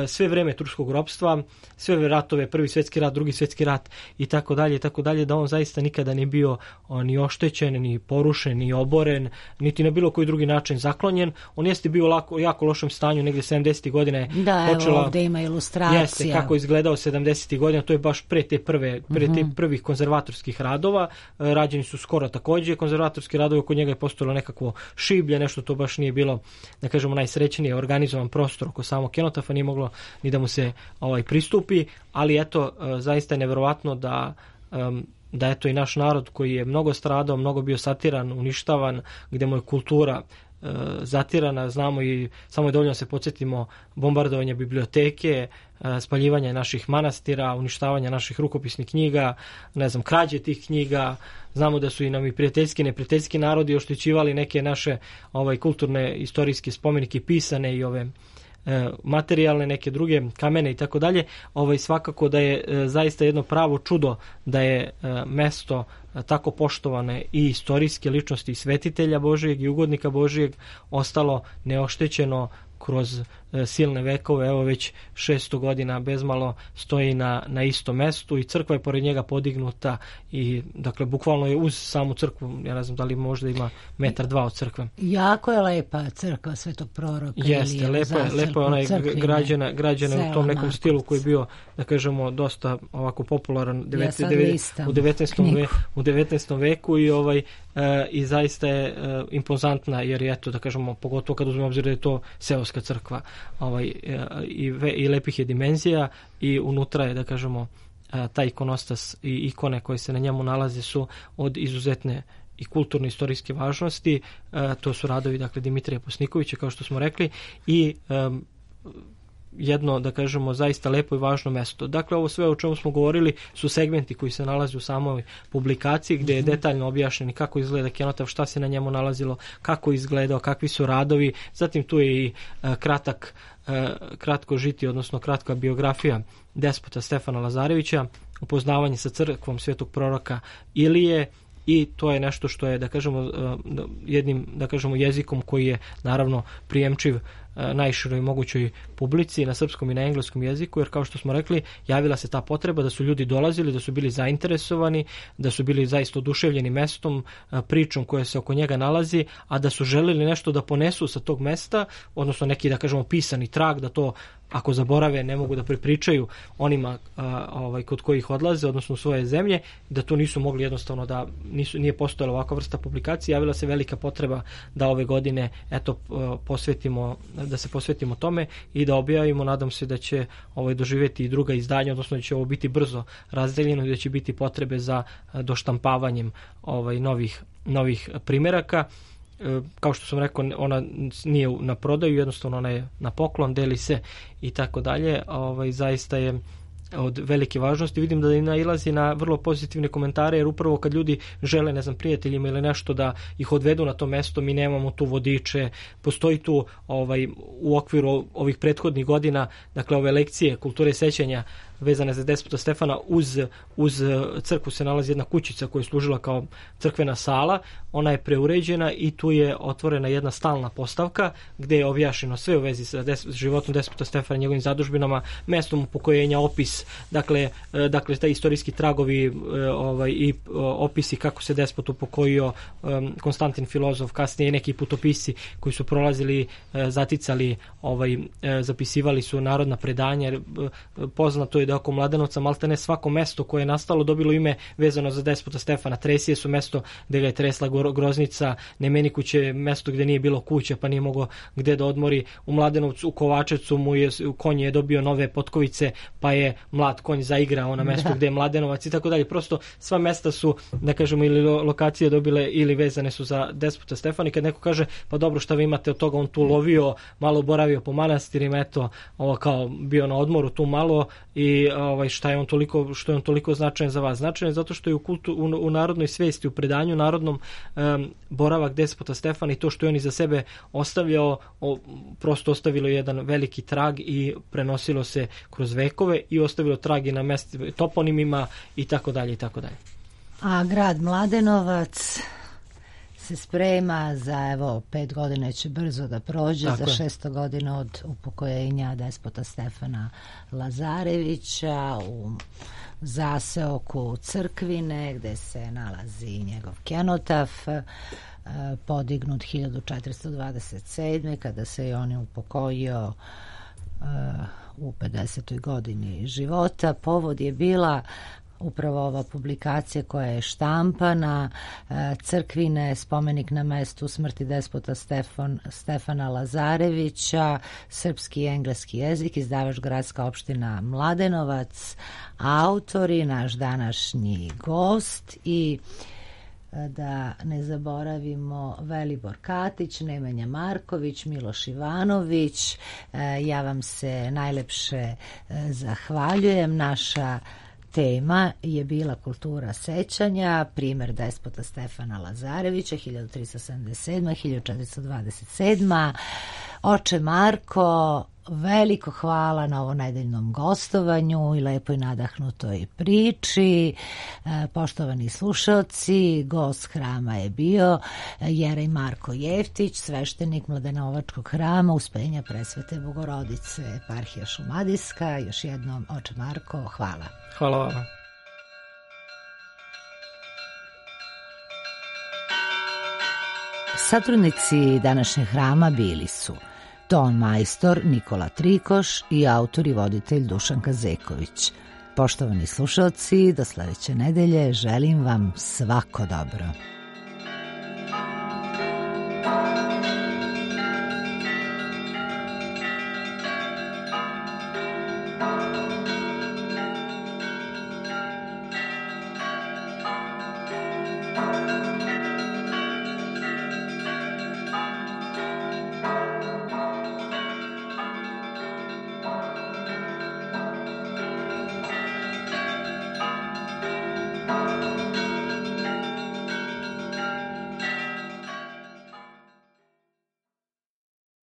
sve vreme turskog ropstva, sve ratove, Prvi svjetski rat, Drugi svjetski rat i tako dalje, tako dalje, da on zaista nikada nije bio ni oštećen, ni porušen, ni oboren, niti na bilo koji drugi način zaklonjen. On jeste bio jako lošem stanju, negdje 70. godine počela... Evo ovdje ima ilustracija. Jeste, kako je izgledao 70. godina, to je baš pre tih prvih konzervatorskih radova. Rađeni su skoro također konzervatorski radovi, oko njega je postojalo nekakvo šiblje, nešto to baš nije bilo, da kažemo, najsrećnije organizovan prostor oko samog kenotafa, nije moglo ni da mu se pristupi, ali eto, zaista je nevjerovatno da eto i naš narod koji je mnogo stradao, mnogo bio satiran, uništavan, gdje mu je kultura zatirana, znamo i samo je dovoljno se podsjetimo bombardovanja biblioteke, spaljivanja naših manastira, uništavanja naših rukopisnih knjiga, krađe tih knjiga. Znamo da su i nam i prijateljski i neprijateljski narodi oštećivali neke naše kulturne istorijske spomenike, pisane i ove materijalne, neke druge kamene i tako dalje. Svakako da je zaista jedno pravo čudo da je mesto tako poštovane i istorijske ličnosti, svetitelja Božijeg i ugodnika Božijeg ostalo neoštećeno kroz silne vekove. Evo već 600 godina bezmalo stoji na istom mestu i crkva je pored njega podignuta i dakle bukvalno je uz samu crkvu, ja ne znam da li možda ima 1-2 metra od crkve. Jako je lepa crkva Svetog proroka. Jeste, lepo je ona građena u tom nekom stilu koji je bio, da kažemo, dosta ovako popularan u 19. veku i zaista je impozantna, jer je to, da kažemo, pogotovo kad uzmemo obzir da je to seoska crkva, i lepih je dimenzija i unutra je, da kažemo, taj ikonostas i ikone koje se na njemu nalaze su od izuzetne i kulturne istorijske važnosti. To su radovi, dakle, Dimitrija Posnikovića, kao što smo rekli, i jedno, da kažemo, zaista lepo i važno mesto. Dakle, ovo sve o čemu smo govorili su segmenti koji se nalaze u samoj publikaciji, gdje je detaljno objašnjeni kako izgleda kenotaf, šta se na njemu nalazilo, kako je izgledao, kakvi su radovi. Zatim tu je i kratko žitije, odnosno kratka biografija despota Stefana Lazarevića, upoznavanje sa crkvom svetog proroka Ilije, i to je nešto što je, da kažemo, jednim, da kažemo, jezikom koji je naravno prijemčiv najširoj mogućoj publici na srpskom i na engleskom jeziku, jer kao što smo rekli, javila se ta potreba da su ljudi dolazili, da su bili zainteresovani, da su bili zaista oduševljeni mestom, pričom koja se oko njega nalazi, a da su želeli nešto da ponesu sa tog mesta, odnosno neki, da kažemo, pisani trag, da to ako zaborave ne mogu da prepričaju onima kod kojih odlaze, odnosno u svoje zemlje, da to nisu mogli jednostavno, da nije postojala ovakva vrsta publikacije. Javila se velika potreba da ove godine da se posvetimo tome i da objavimo. Nadam se da će doživjeti i druga izdanja, odnosno da će ovo biti brzo razdeljeno i da će biti potrebe za doštampavanjem novih primjeraka. Kao što sam rekao, ona nije na prodaju, jednostavno ona je na poklon, deli se i tako dalje. Zaista je od velike važnosti. Vidim da nailazi na vrlo pozitivne komentare, jer upravo kad ljudi žele, ne znam, prijateljima ili nešto da ih odvedu na to mesto, mi nemamo tu vodiče, postoji tu u okviru ovih prethodnih godina, dakle ove lekcije kulture sećanja vezane za despota Stefana, uz crkvu se nalazi jedna kućica koja je služila kao crkvena sala. Ona je preuređena i tu je otvorena jedna stalna postavka gdje je objašnjeno sve u vezi sa životom despota Stefana, njegovim zadužbinama, mestom upokojenja, opis, dakle taj istorijski tragovi i opisi kako se despot upokojio, Konstantin filozof, kasnije i neki putopisci koji su prolazili, zaticali, zapisivali su narodna predanja. Poznato je da oko Mladenovca maltene svako mesto koje je nastalo dobilo ime vezano za despota Stefana. Tresije su mesto gdje ga je tresla groznica, Nemenikuće mesto gdje nije bilo kuća pa nije mogao gdje da odmori. U Mladenovcu, u Kovačevcu konj je dobio nove potkovice pa je mlad konj zaigrao na mesto gdje je Mladenovac i tako dalje. Prosto sva mesta su, da kažemo, ili lokacije dobile ili vezane su za despota Stefana. I kad neko kaže pa dobro, šta vi imate od toga, on tu lovio, malo boravio po manastirima, eto, kao bio na odmoru tu malo i što je on toliko značajan za vas. Značajan je zato što je u narodnoj svijesti, u predanju narodnom, boravak despota Stefana i to što je on iza sebe ostavljao, prosto ostavilo jedan veliki trag i prenosilo se kroz vekove i ostavilo trag i na mjestu toponimima i tako dalje i tako dalje. A grad Mladenovac se sprema za, 5 godina će brzo da prođe, tako za 600 godina od upokojenja despota Stefana Lazarevića u zaseoku Crkvine, gde se nalazi njegov kenotaf, podignut 1427. kada se i on upokojio u 50. godini života. Povod je bila upravo ova publikacija koja je štampana, Crkvine, spomenik na mestu smrti despota Stefana Lazarevića, srpski i engleski jezik, izdavač Gradska opština Mladenovac, autori, naš današnji gost i da ne zaboravimo Velibor Katić, Nemanja Marković, Miloš Ivanović. Ja vam se najlepše zahvaljujem. Naša tema je bila kultura sećanja, primer despota Stefana Lazarevića, 1377-1427. Oče Marko, veliko hvala na ovo nedeljnom gostovanju i lepoj nadahnutoj priči. Poštovani slušalci, gost hrama je bio Jerej Marko Jeftić, sveštenik Mladenovačkog hrama Uspenja Presvete Bogorodice, eparhija Šumadijska. Još jednom, oče Marko, hvala. Hvala vama. Satrudnici današnjeg hrama bili su ton majstor Nikola Trikoš i autor i voditelj Dušan Kazeković. Poštovani slušalci, do sledeće nedelje želim vam svako dobro.